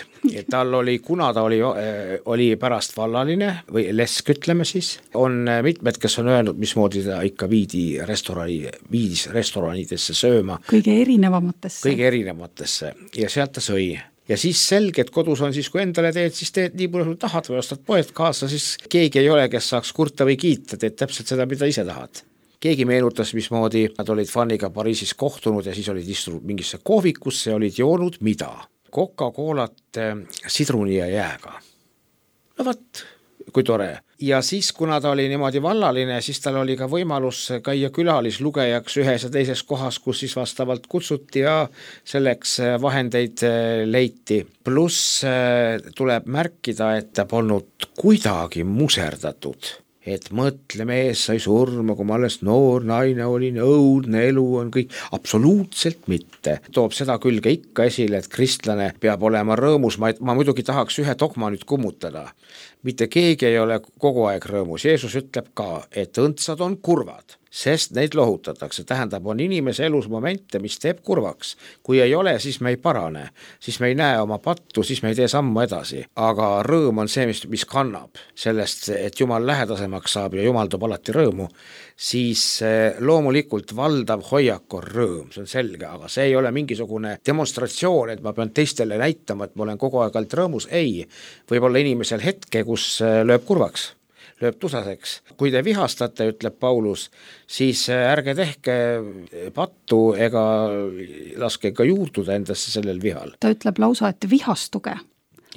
Tal oli, kuna ta oli pärast vallaline või lesk, ütleme siis, on mitmed, kes on öelnud, mismoodi ta ikka viidis restoranidesse sööma. Kõige erinevamatesse. Ja sealt ta sõi. Ja siis selge, et kodus on siis, kui endale teed, siis teed nii palju tahad või ostad poed kaasa, siis keegi ei ole, kes saaks kurta või kiita, teed täpselt seda, mida ise tahad. Keegi meenutas, mismoodi nad olid Fanniga Pariisis kohtunud ja siis olid istunud mingisse kohvikusse ja olid joonud mida? Coca-Colat sidruni ja jääga. No võt, kui tore. Ja siis, kuna ta oli niimoodi vallaline, siis tal oli ka võimalus käia külalislugejaks ühes ja teises kohas, kus siis vastavalt kutsuti ja selleks vahendeid leiti. Pluss tuleb märkida, et ta polnud kuidagi muserdatud. Et mõtle, mees sai surma, kui ma alles noor naine olin, õudne elu on kõik, absoluutselt mitte. Toob seda külge ikka esile, et kristlane peab olema rõõmus, ma muidugi tahaks ühe dogma nüüd kummutada. Mitte keegi ei ole kogu aeg rõõmus, Jeesus ütleb ka, et õndsad on kurvad. sest neid lohutatakse. Tähendab, on inimese elus momente, mis teeb kurvaks. Kui ei ole, siis me ei parane, siis me ei näe oma pattu, siis me ei tee sammu edasi. Aga rõõm on see, mis kannab sellest, et Jumal lähedasemaks saab ja Jumal toob alati rõõmu, siis loomulikult valdav hoiak on rõõm, see on selge, aga see ei ole mingisugune demonstratsioon, et ma pean teistele näitama, et ma olen kogu aeg alt rõõmus. Ei, võib-olla inimesel hetke, kus lööb kurvaks, lööb tusaseks. Kui te vihastate, ütleb Paulus, siis ärge tehke pattu ega laske ka juurduda endasse sellel vihal. Ta ütleb lausa, et vihastuge.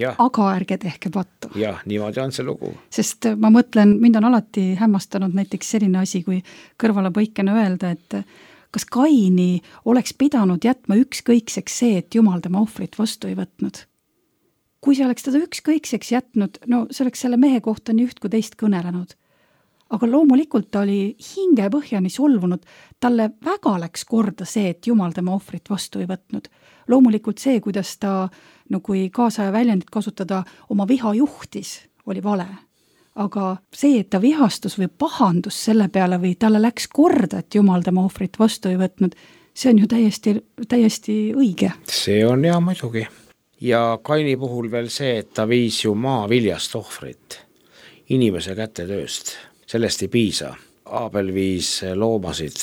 Ja. Aga ärge tehke pattu. Jah, niimoodi on see lugu. Sest ma mõtlen, mind on alati hämmastanud näiteks selline asi, kui kõrvalepõikena öelda, et kas Kaini oleks pidanud jätma ükskõikseks see, et Jumal tema ohvrit vastu ei võtnud? Kui see oleks teda ükskõikseks jätnud, no see oleks selle mehe kohta nii üht kui teist kõnelenud. Aga loomulikult ta oli hingepõhjani solvunud, talle väga läks korda see, et Jumal tema ohvrit vastu ei võtnud. Loomulikult see, kuidas ta, no kui kaasaja väljendit kasutada, oma viha juhtis, oli vale. Aga see, et ta vihastus või pahandus selle peale või talle läks korda, et Jumal tema ohvrit vastu ei võtnud, see on ju täiesti õige. See on ja muidugi. Ja Kaini puhul veel see, et ta viis ju maaviljast ohvrit inimese kätetööst. Sellest ei piisa. Aabel viis loomasid,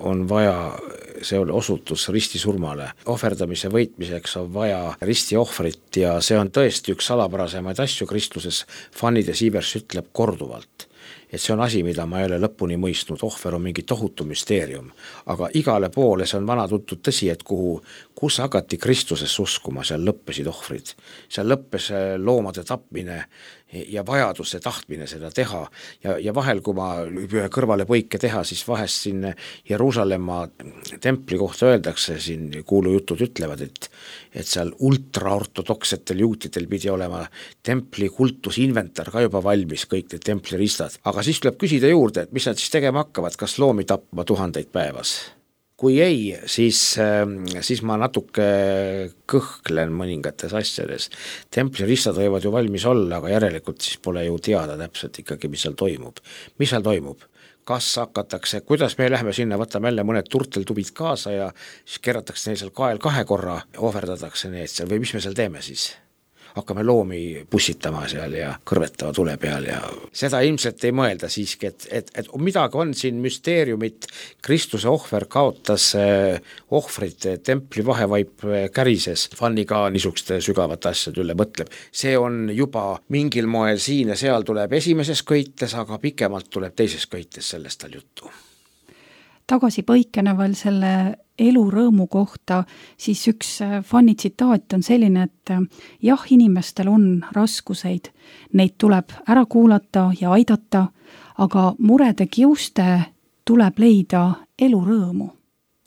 on vaja, see oli osutus ristisurmale. Ohverdamise võitmiseks on vaja ristiohvrit ja see on tõesti üks salapärasemaid asju Kristuses. Fanny de Sievers ütleb korduvalt, et see on asi, mida ma ei ole lõpuni mõistnud. Ohver on mingi tohutu müsteerium, aga igale poole see on vana tuntud tõsi, et kus hakati Kristuses uskuma, seal lõppesid ohvrid. Seal lõppes loomade tapmine ja vajadus ja tahtmine seda teha ja vahel, kui ma ühe kõrvale põike teha, siis vahest siin Jeruusalemma templi kohta öeldakse, siin kuulujutud ütlevad, et seal ultraortodoksetel juutidel pidi olema templi kultusinventar ka juba valmis, kõik need templiristad. Aga siis tuleb küsida juurde, et mis nad siis tegema hakkavad, kas loomi tapma 1000 päevas? Kui ei, siis ma natuke kõhklen mõningates asjades. Templiristad võivad ju valmis olla, aga järelikult siis pole ju teada täpselt ikkagi, mis seal toimub. Mis seal toimub? Kas hakatakse, kuidas me lähme sinna, võtame jälle mõned turteltubid kaasa ja siis kerratakse neil seal kael 2 korra, ohverdatakse need seal või mis me seal teeme siis? Hakkame loomi pussitama seal ja kõrvetama tule peal ja seda ilmselt ei mõelda siiski, et midagi on siin müsteeriumit. Kristuse ohver kaotas ohvrit, templi vahevaip kärises. Fanny ka niisuguste sügavat asjad üle mõtleb. See on juba mingil moel siin ja seal tuleb esimeses köites, aga pikemalt tuleb teises köites sellest tal juttu. Tagasi põikena veel selle elurõõmu kohta, siis üks Fanny tsitaat on selline, et jah, inimestel on raskuseid, neid tuleb ära kuulata ja aidata, aga murede kiuste tuleb leida elurõõmu.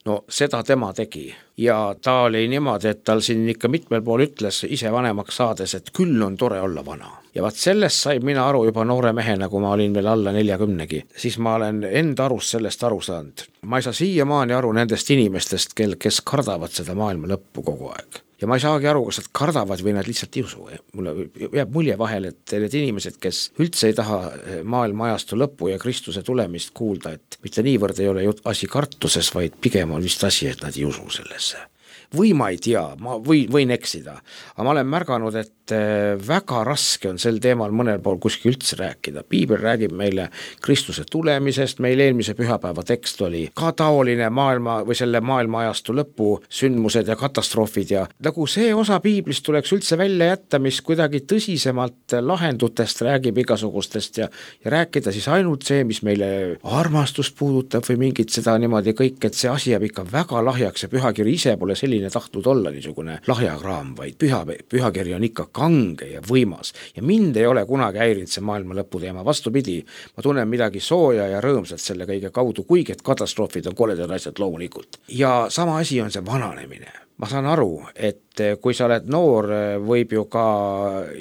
No seda tema tegi ja ta oli niimoodi, et tal siin ikka mitmel pool ütles ise vanemaks saades, et küll on tore olla vana. Ja vaat sellest sai mina aru juba noore mehena, kui ma olin veel alla 40-gi. Siis ma olen enda arust sellest aru saanud. Ma ei saa siiamaani aru nendest inimestest, kes kardavad seda maailma lõppu kogu aeg. Ja ma ei saagi aru, kas nad kardavad või nad lihtsalt ei usu. Mulle jääb mulje vahel, et need inimesed, kes üldse ei taha maailma ajastu lõppu ja Kristuse tulemist kuulda, et mitte niivõrd ei ole asi kartuses, vaid pigem on vist asi, et nad ei usu sellesse. Või ma ei tea, ma võin eksida, aga ma olen märganud, et väga raske on sel teemal mõnel pool kuskil üldse rääkida. Piibel räägib meile Kristuse tulemisest, meil eelmise pühapäeva tekst oli ka taoline maailma või selle maailma ajastu lõpu sündmused ja katastroofid ja nagu see osa Piiblist tuleks üldse välja jätta, mis kuidagi tõsisemalt lahendutest räägib igasugustest ja rääkida siis ainult see, mis meile armastust puudutab või mingit seda niimoodi kõik, et see asi jääb ikka väga lahjaks ja pühakiri ise pole selline tahtnud olla niisugune lahjakraam, vaid pühakiri on ikka kange ja võimas ja mind ei ole kunagi häirinud see maailma lõpu teema, vastupidi, ma tunnen midagi sooja ja rõõmsat selle kõige kaudu, kuigi et katastroofid on koledad asjad loomulikult. Ja sama asi on see vananemine. Ma saan aru, et kui sa oled noor, võib ju ka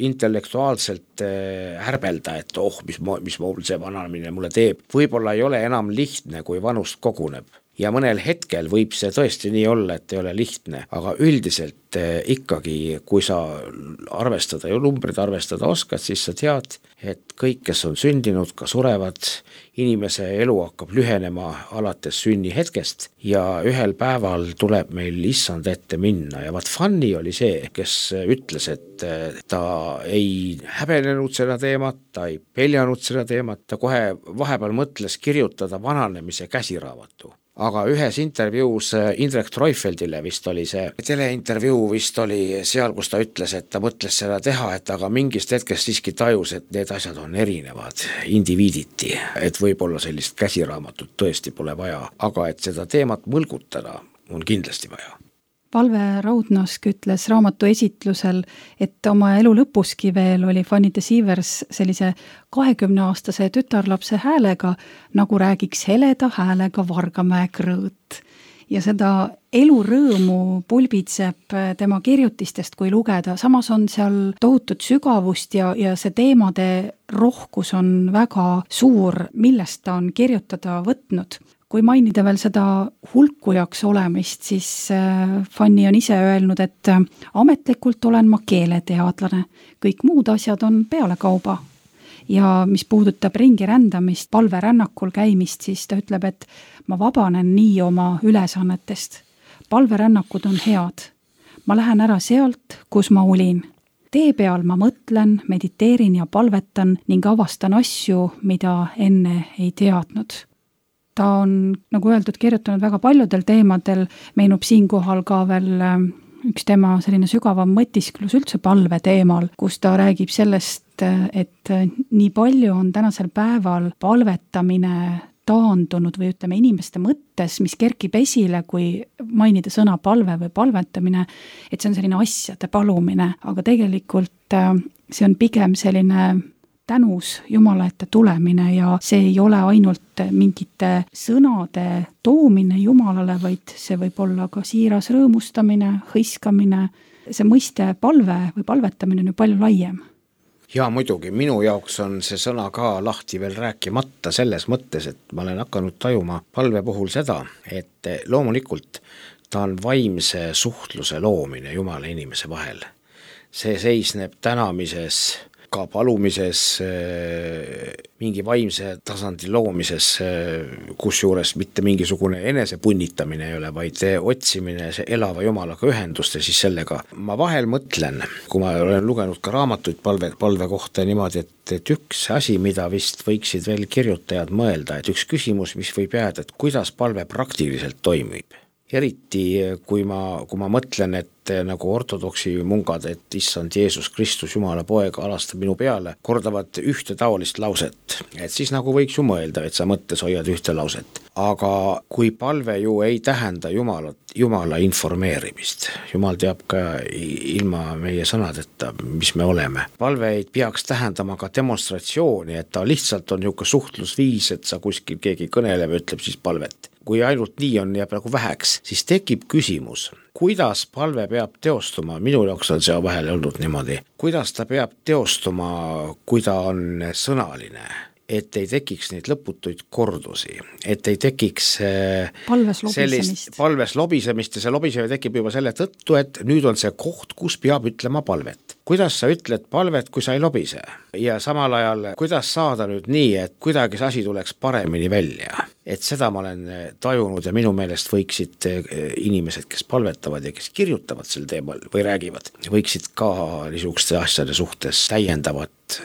intellektuaalselt härbelda, et mis see vananemine mulle teeb. Võib-olla ei ole enam lihtne, kui vanust koguneb. ja mõnel hetkel võib see tõesti nii olla, et ei ole lihtne, aga üldiselt ikkagi, kui sa arvestada ja numbrid arvestada oskad, siis sa tead, et kõik, kes on sündinud, ka surevad, inimese elu hakkab lühenema alates sünnihetkest ja ühel päeval tuleb meil issand ette minna ja vaat Fanny oli see, kes ütles, et ta ei häbenenud seda teemat, ta ei peljanud seda teemat, ta kohe vahepeal mõtles kirjutada vananemise käsiraamatu. Aga ühes intervjuus Indrek Treufeldile vist oli see teleintervjuu vist oli seal, kus ta ütles, et ta mõtles seda teha, et aga mingist hetkest siiski tajus, et need asjad on erinevad indiviiditi, et võib-olla sellist käsiraamatut tõesti pole vaja, aga et seda teemat mõlgutada on kindlasti vaja. Valve Raudnask ütles raamatu esitlusel, et oma elu lõpuski veel oli Fanny de Sievers sellise 20-aastase tütarlapse häälega, nagu räägiks heleda häälega Vargamäe krõõt. Ja seda elurõõmu pulbitseb tema kirjutistest, kui lugeda. Samas on seal tohutut sügavust ja see teemade rohkus on väga suur, millest ta on kirjutada võtnud. Kui mainida veel seda hulkujaks olemist, siis Fanny on ise öelnud, et ametlikult olen ma keeleteadlane. Kõik muud asjad on pealekauba. Ja mis puudutab ringi rändamist, palverännakul käimist, siis ta ütleb, et ma vabanen nii oma ülesannetest. Palverännakud on head. Ma lähen ära sealt, kus ma olin. Tee peal ma mõtlen, mediteerin ja palvetan ning avastan asju, mida enne ei teadnud. Ta on, nagu öeldud, kirjutanud väga paljudel teemadel, meenub siinkohal ka veel üks tema selline sügavam mõtisklus üldse palve teemal, kus ta räägib sellest, et nii palju on tänasel päeval palvetamine taandunud või ütleme inimeste mõttes, mis kerkib esile, kui mainida sõna palve või palvetamine, et see on selline asjade palumine, aga tegelikult see on pigem selline tänus Jumala ette tulemine ja see ei ole ainult mingite sõnade toomine Jumalale, vaid see võib olla ka siiras rõõmustamine, hõiskamine. See mõiste palve või palvetamine on ju palju laiem. Ja muidugi, minu jaoks on see sõna ka lahti veel rääkimata selles mõttes, et ma olen hakanud tajuma palve puhul seda, et loomulikult ta on vaimse suhtluse loomine Jumala inimese vahel. See seisneb tänamises, ka palumises, mingi vaimse tasandi loomises, kusjuures mitte mingisugune enesepunnitamine ei ole, vaid otsimine see elava Jumalaga ühendust ja siis sellega. Ma vahel mõtlen, kui ma olen lugenud ka raamatuid palve kohta niimoodi, et üks asi, mida vist võiksid veel kirjutajad mõelda, et üks küsimus, mis võib jääda, et kuidas palve praktiliselt toimib. Eriti kui ma mõtlen, et nagu ortodoksi mungad, et issand Jeesus Kristus, Jumala poeg, alastab minu peale, kordavad ühte taolist lauset, et siis nagu võiks ju mõelda, et sa mõttes hoiad ühte lauset. Aga kui palve ju ei tähenda Jumala informeerimist, Jumal teab ka ilma meie sõnadeta, mis me oleme. Palve ei peaks tähendama ka demonstratsiooni, et ta lihtsalt on niisugune suhtlusviis, et sa kuskil keegi kõneleb ja ütleb siis palvet. Kui ainult nii on jääb nagu väheks, siis tekib küsimus, kuidas palve peab teostuma, minu jaoks on see vahel olnud niimoodi, kuidas ta peab teostuma, kui ta on sõnaline, et ei tekiks neid lõputuid kordusi, et ei tekiks palves lobisemist ja see lobisemine tekib juba selle tõttu, et nüüd on see koht, kus peab ütlema palvet. Kuidas sa ütled palvet, kui sa ei lobise? Ja samal ajal, kuidas saada nüüd nii, et kuidagi see asi tuleks paremini välja? Et seda ma olen tajunud ja minu meelest võiksid inimesed, kes palvetavad ja kes kirjutavad sel teemal või räägivad, võiksid ka niisuguste asjade suhtes täiendavat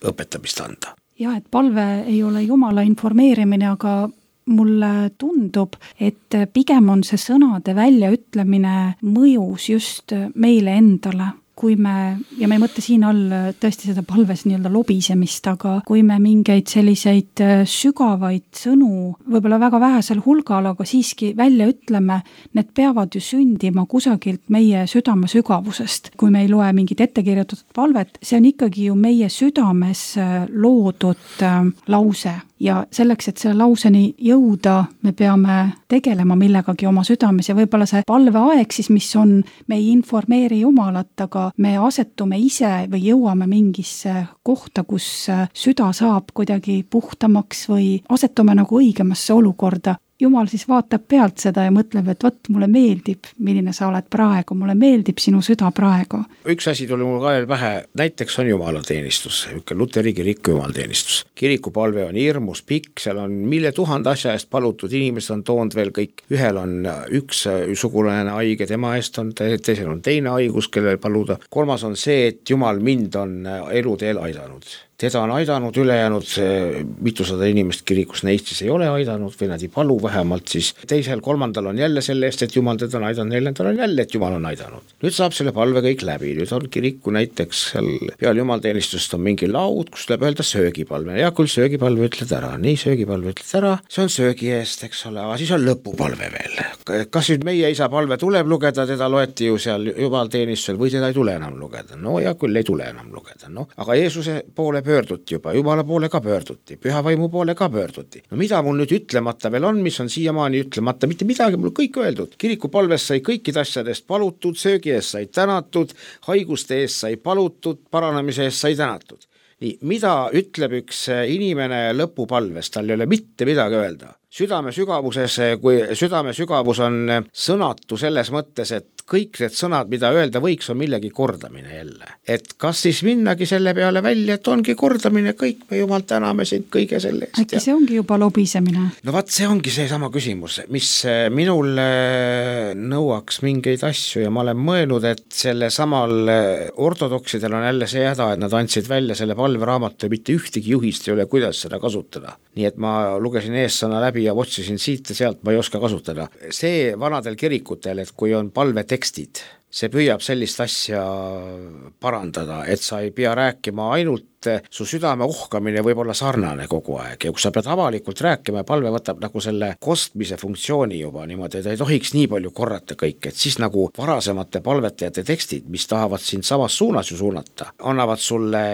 õpetamist anda. Ja, et palve ei ole Jumala informeerimine, aga mulle tundub, et pigem on see sõnade väljaütlemine mõjus just meile endale. Kui me, ja me ei mõtle siin all tõesti seda palves nii-öelda lobisemist, aga kui me mingeid selliseid sügavaid sõnu, võib-olla väga vähesel hulgal, aga siiski välja ütleme, need peavad ju sündima kusagilt meie südame sügavusest. Kui me ei loe mingit ettekirjutatud palvet, see on ikkagi ju meie südames loodud lause. Ja selleks, et selle lauseni jõuda, me peame tegelema millegagi oma südames ja võib-olla see palveaeg siis, mis on, me ei informeeri Jumalat, aga me asetume ise või jõuame mingisse kohta, kus süda saab kuidagi puhtamaks või asetume nagu õigemasse olukorda. Jumal siis vaatab pealt seda ja mõtleb, et vot mulle meeldib, milline sa oled praegu, mulle meeldib sinu süda praegu. Üks asi tuli mul ka veel pähe, näiteks on jumalateenistus, luteri kiriku jumalateenistus. Kirikupalve on hirmus pikk, seal on 1000 asja eest palutud, inimesed on toonud veel kõik. Ühel on üks sugulane haige, tema eest on, teisel on teine haigus, kellel paluda. Kolmas on see, et Jumal mind on eluteel aidanud. Teda on aidanud ülejäänud, mitusada inimest kirikus neist siis ei ole aidanud või nad ei palu vähemalt, siis teisel, kolmandal on jälle selle eest, et Jumal teda on aidanud, neljandal on jälle, et Jumal on aidanud. Nüüd saab selle palve kõik läbi, nüüd on kiriku näiteks seal peal jumalteenistust on mingi laud, kus tuleb öelda söögipalve. Ja küll söögipalve ütled ära, nii söögipalve ütled ära, see on söögi eest, eks ole, aga siis on lõpupalve veel. Kas nüüd meie isa palve tuleb lugeda, teda loeti ju seal jumalteenistusel või teda ei tule enam lugeda? No ja küll ei tule enam lugeda, no. Aga Jeesuse poole pöörduti juba, Jumala poole ka pöörduti, püha vaimu poole ka pöörduti. No mida mul nüüd ütlemata veel on, mis on siiamaani ütlemata, mitte midagi mul kõik öeldud. Kirikupalves sai kõikide asjadest palutud, söögi eest sai tänatud, haiguste eest sai palutud, paranemise eest sai tänatud. Nii, mida ütleb üks inimene lõpupalves, tal ei ole mitte midagi öelda. Südame sügavus on sõnatu selles mõttes, et kõik need sõnad, mida öelda võiks, on millegi kordamine jälle. Et kas siis minnagi selle peale välja, et ongi kordamine kõik, me Jumal täname sind kõige selle eest. Äkki see ongi juba lobisemine? No vaat see ongi see sama küsimus, mis minul nõuaks mingeid asju ja ma olen mõelnud, et selle samal ortodoksidel on jälle see häda, et nad andsid välja selle palveraamatu ja mitte ühtegi juhist ei ole, kuidas seda kasutada. Nii et ma lugesin eessõna läbi ja otsisin siit ja sealt, ma ei oska kasutada. See vanadel kirikutel, et kui on palvetekstid, see püüab sellist asja parandada, et sa ei pea rääkima ainult, su südame ohkamine võib olla sarnane kogu aeg ja kui sa pead avalikult rääkima ja palve võtab nagu selle kostmise funktsiooni juba niimoodi, et ei tohiks nii palju korrata kõik, et siis nagu varasemate palvetajate tekstid, mis tahavad sind samas suunas ju suunata, annavad sulle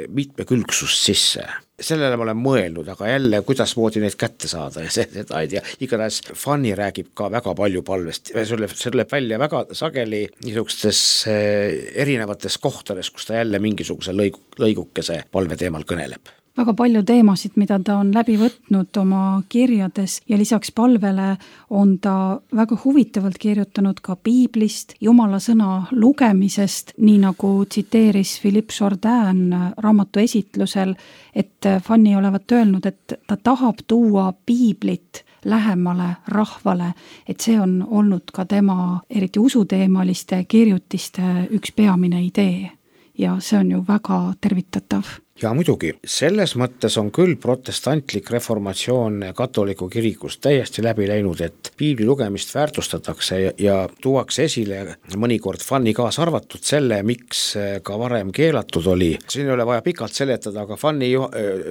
mitmekülgsust sisse. Sellele ma olen mõelnud, aga jälle, kuidas moodi neid kätte saada ja seda ei tea. Igatahes Fanny räägib ka väga palju palvest. See tuleb välja väga sageli niisugustes erinevates kohtades, kus ta jälle mingisuguse lõigukese palve teemal kõneleb. Väga palju teemasid, mida ta on läbi võtnud oma kirjades ja lisaks palvele on ta väga huvitavalt kirjutanud ka piiblist, Jumala sõna lugemisest, nii nagu tsiteeris Philippe Jourdain raamatu esitlusel, et Fanny olevat öelnud, et ta tahab tuua piiblit lähemale rahvale, et see on olnud ka tema eriti usuteemaliste kirjutiste üks peamine idee ja see on ju väga tervitatav. Ja muidugi, selles mõttes on küll protestantlik reformatsioon katoliku kirikus täiesti läbi läinud, et piibli lugemist väärtustatakse ja tuuakse esile mõnikord Fanny kaasa arvatud selle, miks ka varem keelatud oli. Siin ei ole vaja pikalt seletada, aga Fanny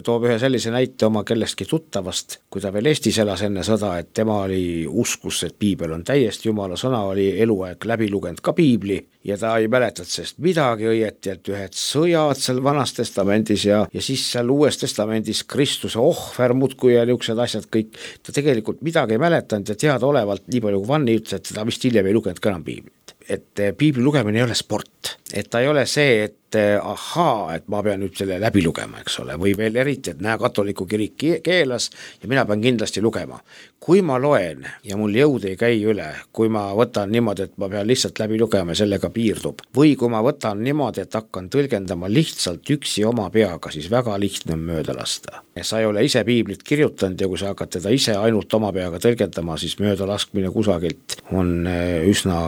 toob ühe sellise näite oma kellestki tuttavast, kui ta veel Eestis elas enne sõda, et tema oli uskus, et piibel on täiesti Jumala sõna, oli eluaeg läbi lugenud ka piibli ja ta ei mäletanud sest midagi õieti, et ühed sõjad seal Vanas Testamendis ja siis seal Uues Testamendis Kristuse ohver muudkui ja niisugused asjad kõik. Ta tegelikult midagi ei mäletanud ja teadaolevalt nii palju kui Fanny ütles, et ta vist hiljem ei lugenud ka enam piiblit. Et piibli lugemine ei ole sport, et ta ei ole see, et et ma pean nüüd selle läbi lugema, eks ole, või veel eriti, et näe, katoliku kirik keelas ja mina pean kindlasti lugema. Kui ma loen ja mul jõud ei käi üle, kui ma võtan niimoodi, et ma pean lihtsalt läbi lugema ja sellega piirdub, või kui ma võtan niimoodi, et hakkan tõlgendama lihtsalt üksi oma peaga, siis väga lihtne on mööda lasta. Sa ei ole ise piiblit kirjutanud ja kui sa hakkad teda ise ainult oma peaga tõlgendama, siis mööda laskmine kusagilt on üsna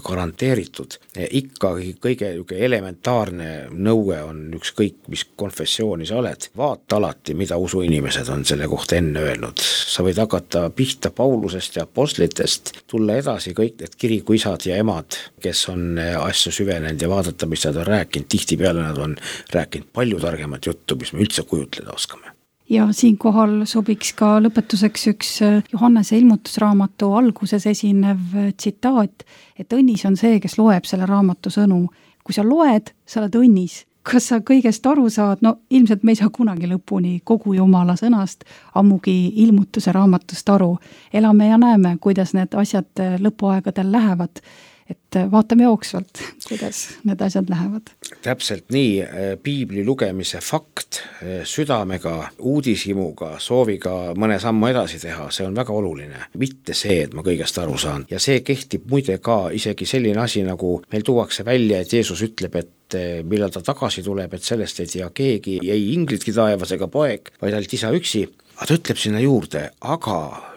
garanteeritud. Ikkagi kõige elementaarne nõue on ükskõik, mis konfessiooni sa oled. Vaata alati, mida usuinimesed on selle kohta enne öelnud. Sa võid hakata pihta Paulusest ja apostlitest, tulla edasi kõik need kirikuisad ja emad, kes on asju süvenenud ja vaadata, mis nad on rääkinud. Tihtipeale nad on rääkinud palju targemat juttu, mis me üldse kujutleda oskame. Ja siinkohal sobiks ka lõpetuseks üks Johannese ilmutusraamatu alguses esinev tsitaat, et õnnis on see, kes loeb selle raamatu sõnu. Kui sa loed, sa oled õnnis. Kas sa kõigest aru saad? No ilmselt me ei saa kunagi lõpuni kogu Jumala sõnast, ammugi ilmutuse raamatust aru. Elame ja näeme, kuidas need asjad lõpuaegadel lähevad. et vaatame jooksvalt, kuidas need asjad lähevad. Täpselt nii, piibli lugemise fakt südamega, uudishimuga, sooviga mõne sammu edasi teha, see on väga oluline. Mitte see, et ma kõigest aru saan. Ja see kehtib muide ka isegi selline asi, nagu meil tuuakse välja, et Jeesus ütleb, et millal ta tagasi tuleb, et sellest ei tea keegi, ei inglitki taevas ega poeg, vaid ainult isa üksi. Aga ta ütleb sinna juurde, aga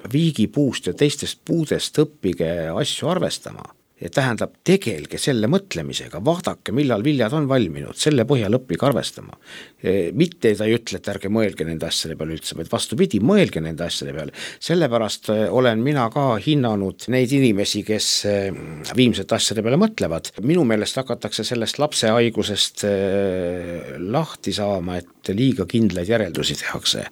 viigipuust ja teistest puudest õppige asju arvestama. Ja tähendab, tegelge selle mõtlemisega, vaadake, millal viljad on valminud, selle põhjal õppige arvestama. Mitte ta ei ütle, et ärge mõelge nende asjade peale üldse, vaid vastupidi, mõelge nende asjade peale. Sellepärast olen mina ka hinnanud neid inimesi, kes viimsete asjade peale mõtlevad. Minu meelest hakatakse sellest lapsehaigusest lahti saama, et liiga kindlaid järeldusi tehakse.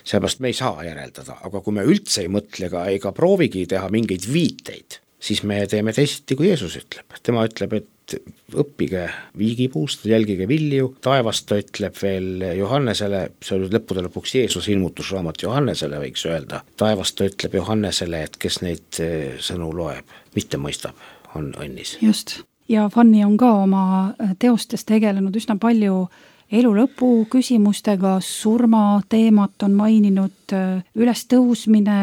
Sellepärast me ei saa järeldada, aga kui me üldse ei mõtle ega proovigi teha mingeid viiteid, siis me teeme teisiti, kui Jeesus ütleb. Tema ütleb, et õppige viigipuust, jälgige vilju. Taevast ta ütleb veel Johannesele, see oli lõppude lõpuks Jeesuse ilmutusraamat Johannesele, võiks öelda. Taevast ta ütleb Johannesele, et kes neid sõnu loeb, mitte mõistab, on õnnis. Just. Ja Fanny on ka oma teostes tegelenud üsna palju elu lõpu küsimustega, surma teemat on maininud, üles tõusmine,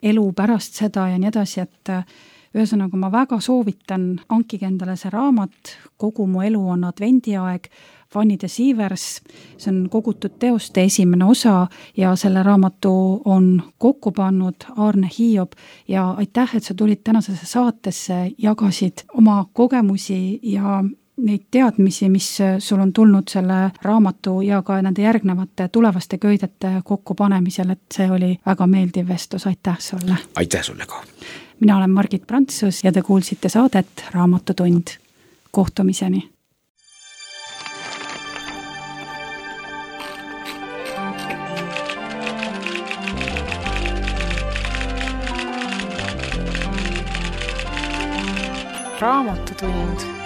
elu pärast seda ja nii edasi, et ühesõnaga ma väga soovitan, hankige endale see raamat, Kogu mu elu on advendiaeg, Fanny de Sievers, see on kogutud teoste esimene osa ja selle raamatu on kokku pannud Aarne Hiob ja aitäh, et sa tulid tänasesse saatesse, jagasid oma kogemusi ja neid teadmisi, mis sul on tulnud selle raamatu ja ka nende järgnevate tulevaste köidete kokkupanemisel, et see oli väga meeldiv vestlus, aitäh sulle! Aitäh sulle ka! Mina olen Margit Prantsus ja te kuulsite saadet Raamatutund. Kohtumiseni! Raamatutund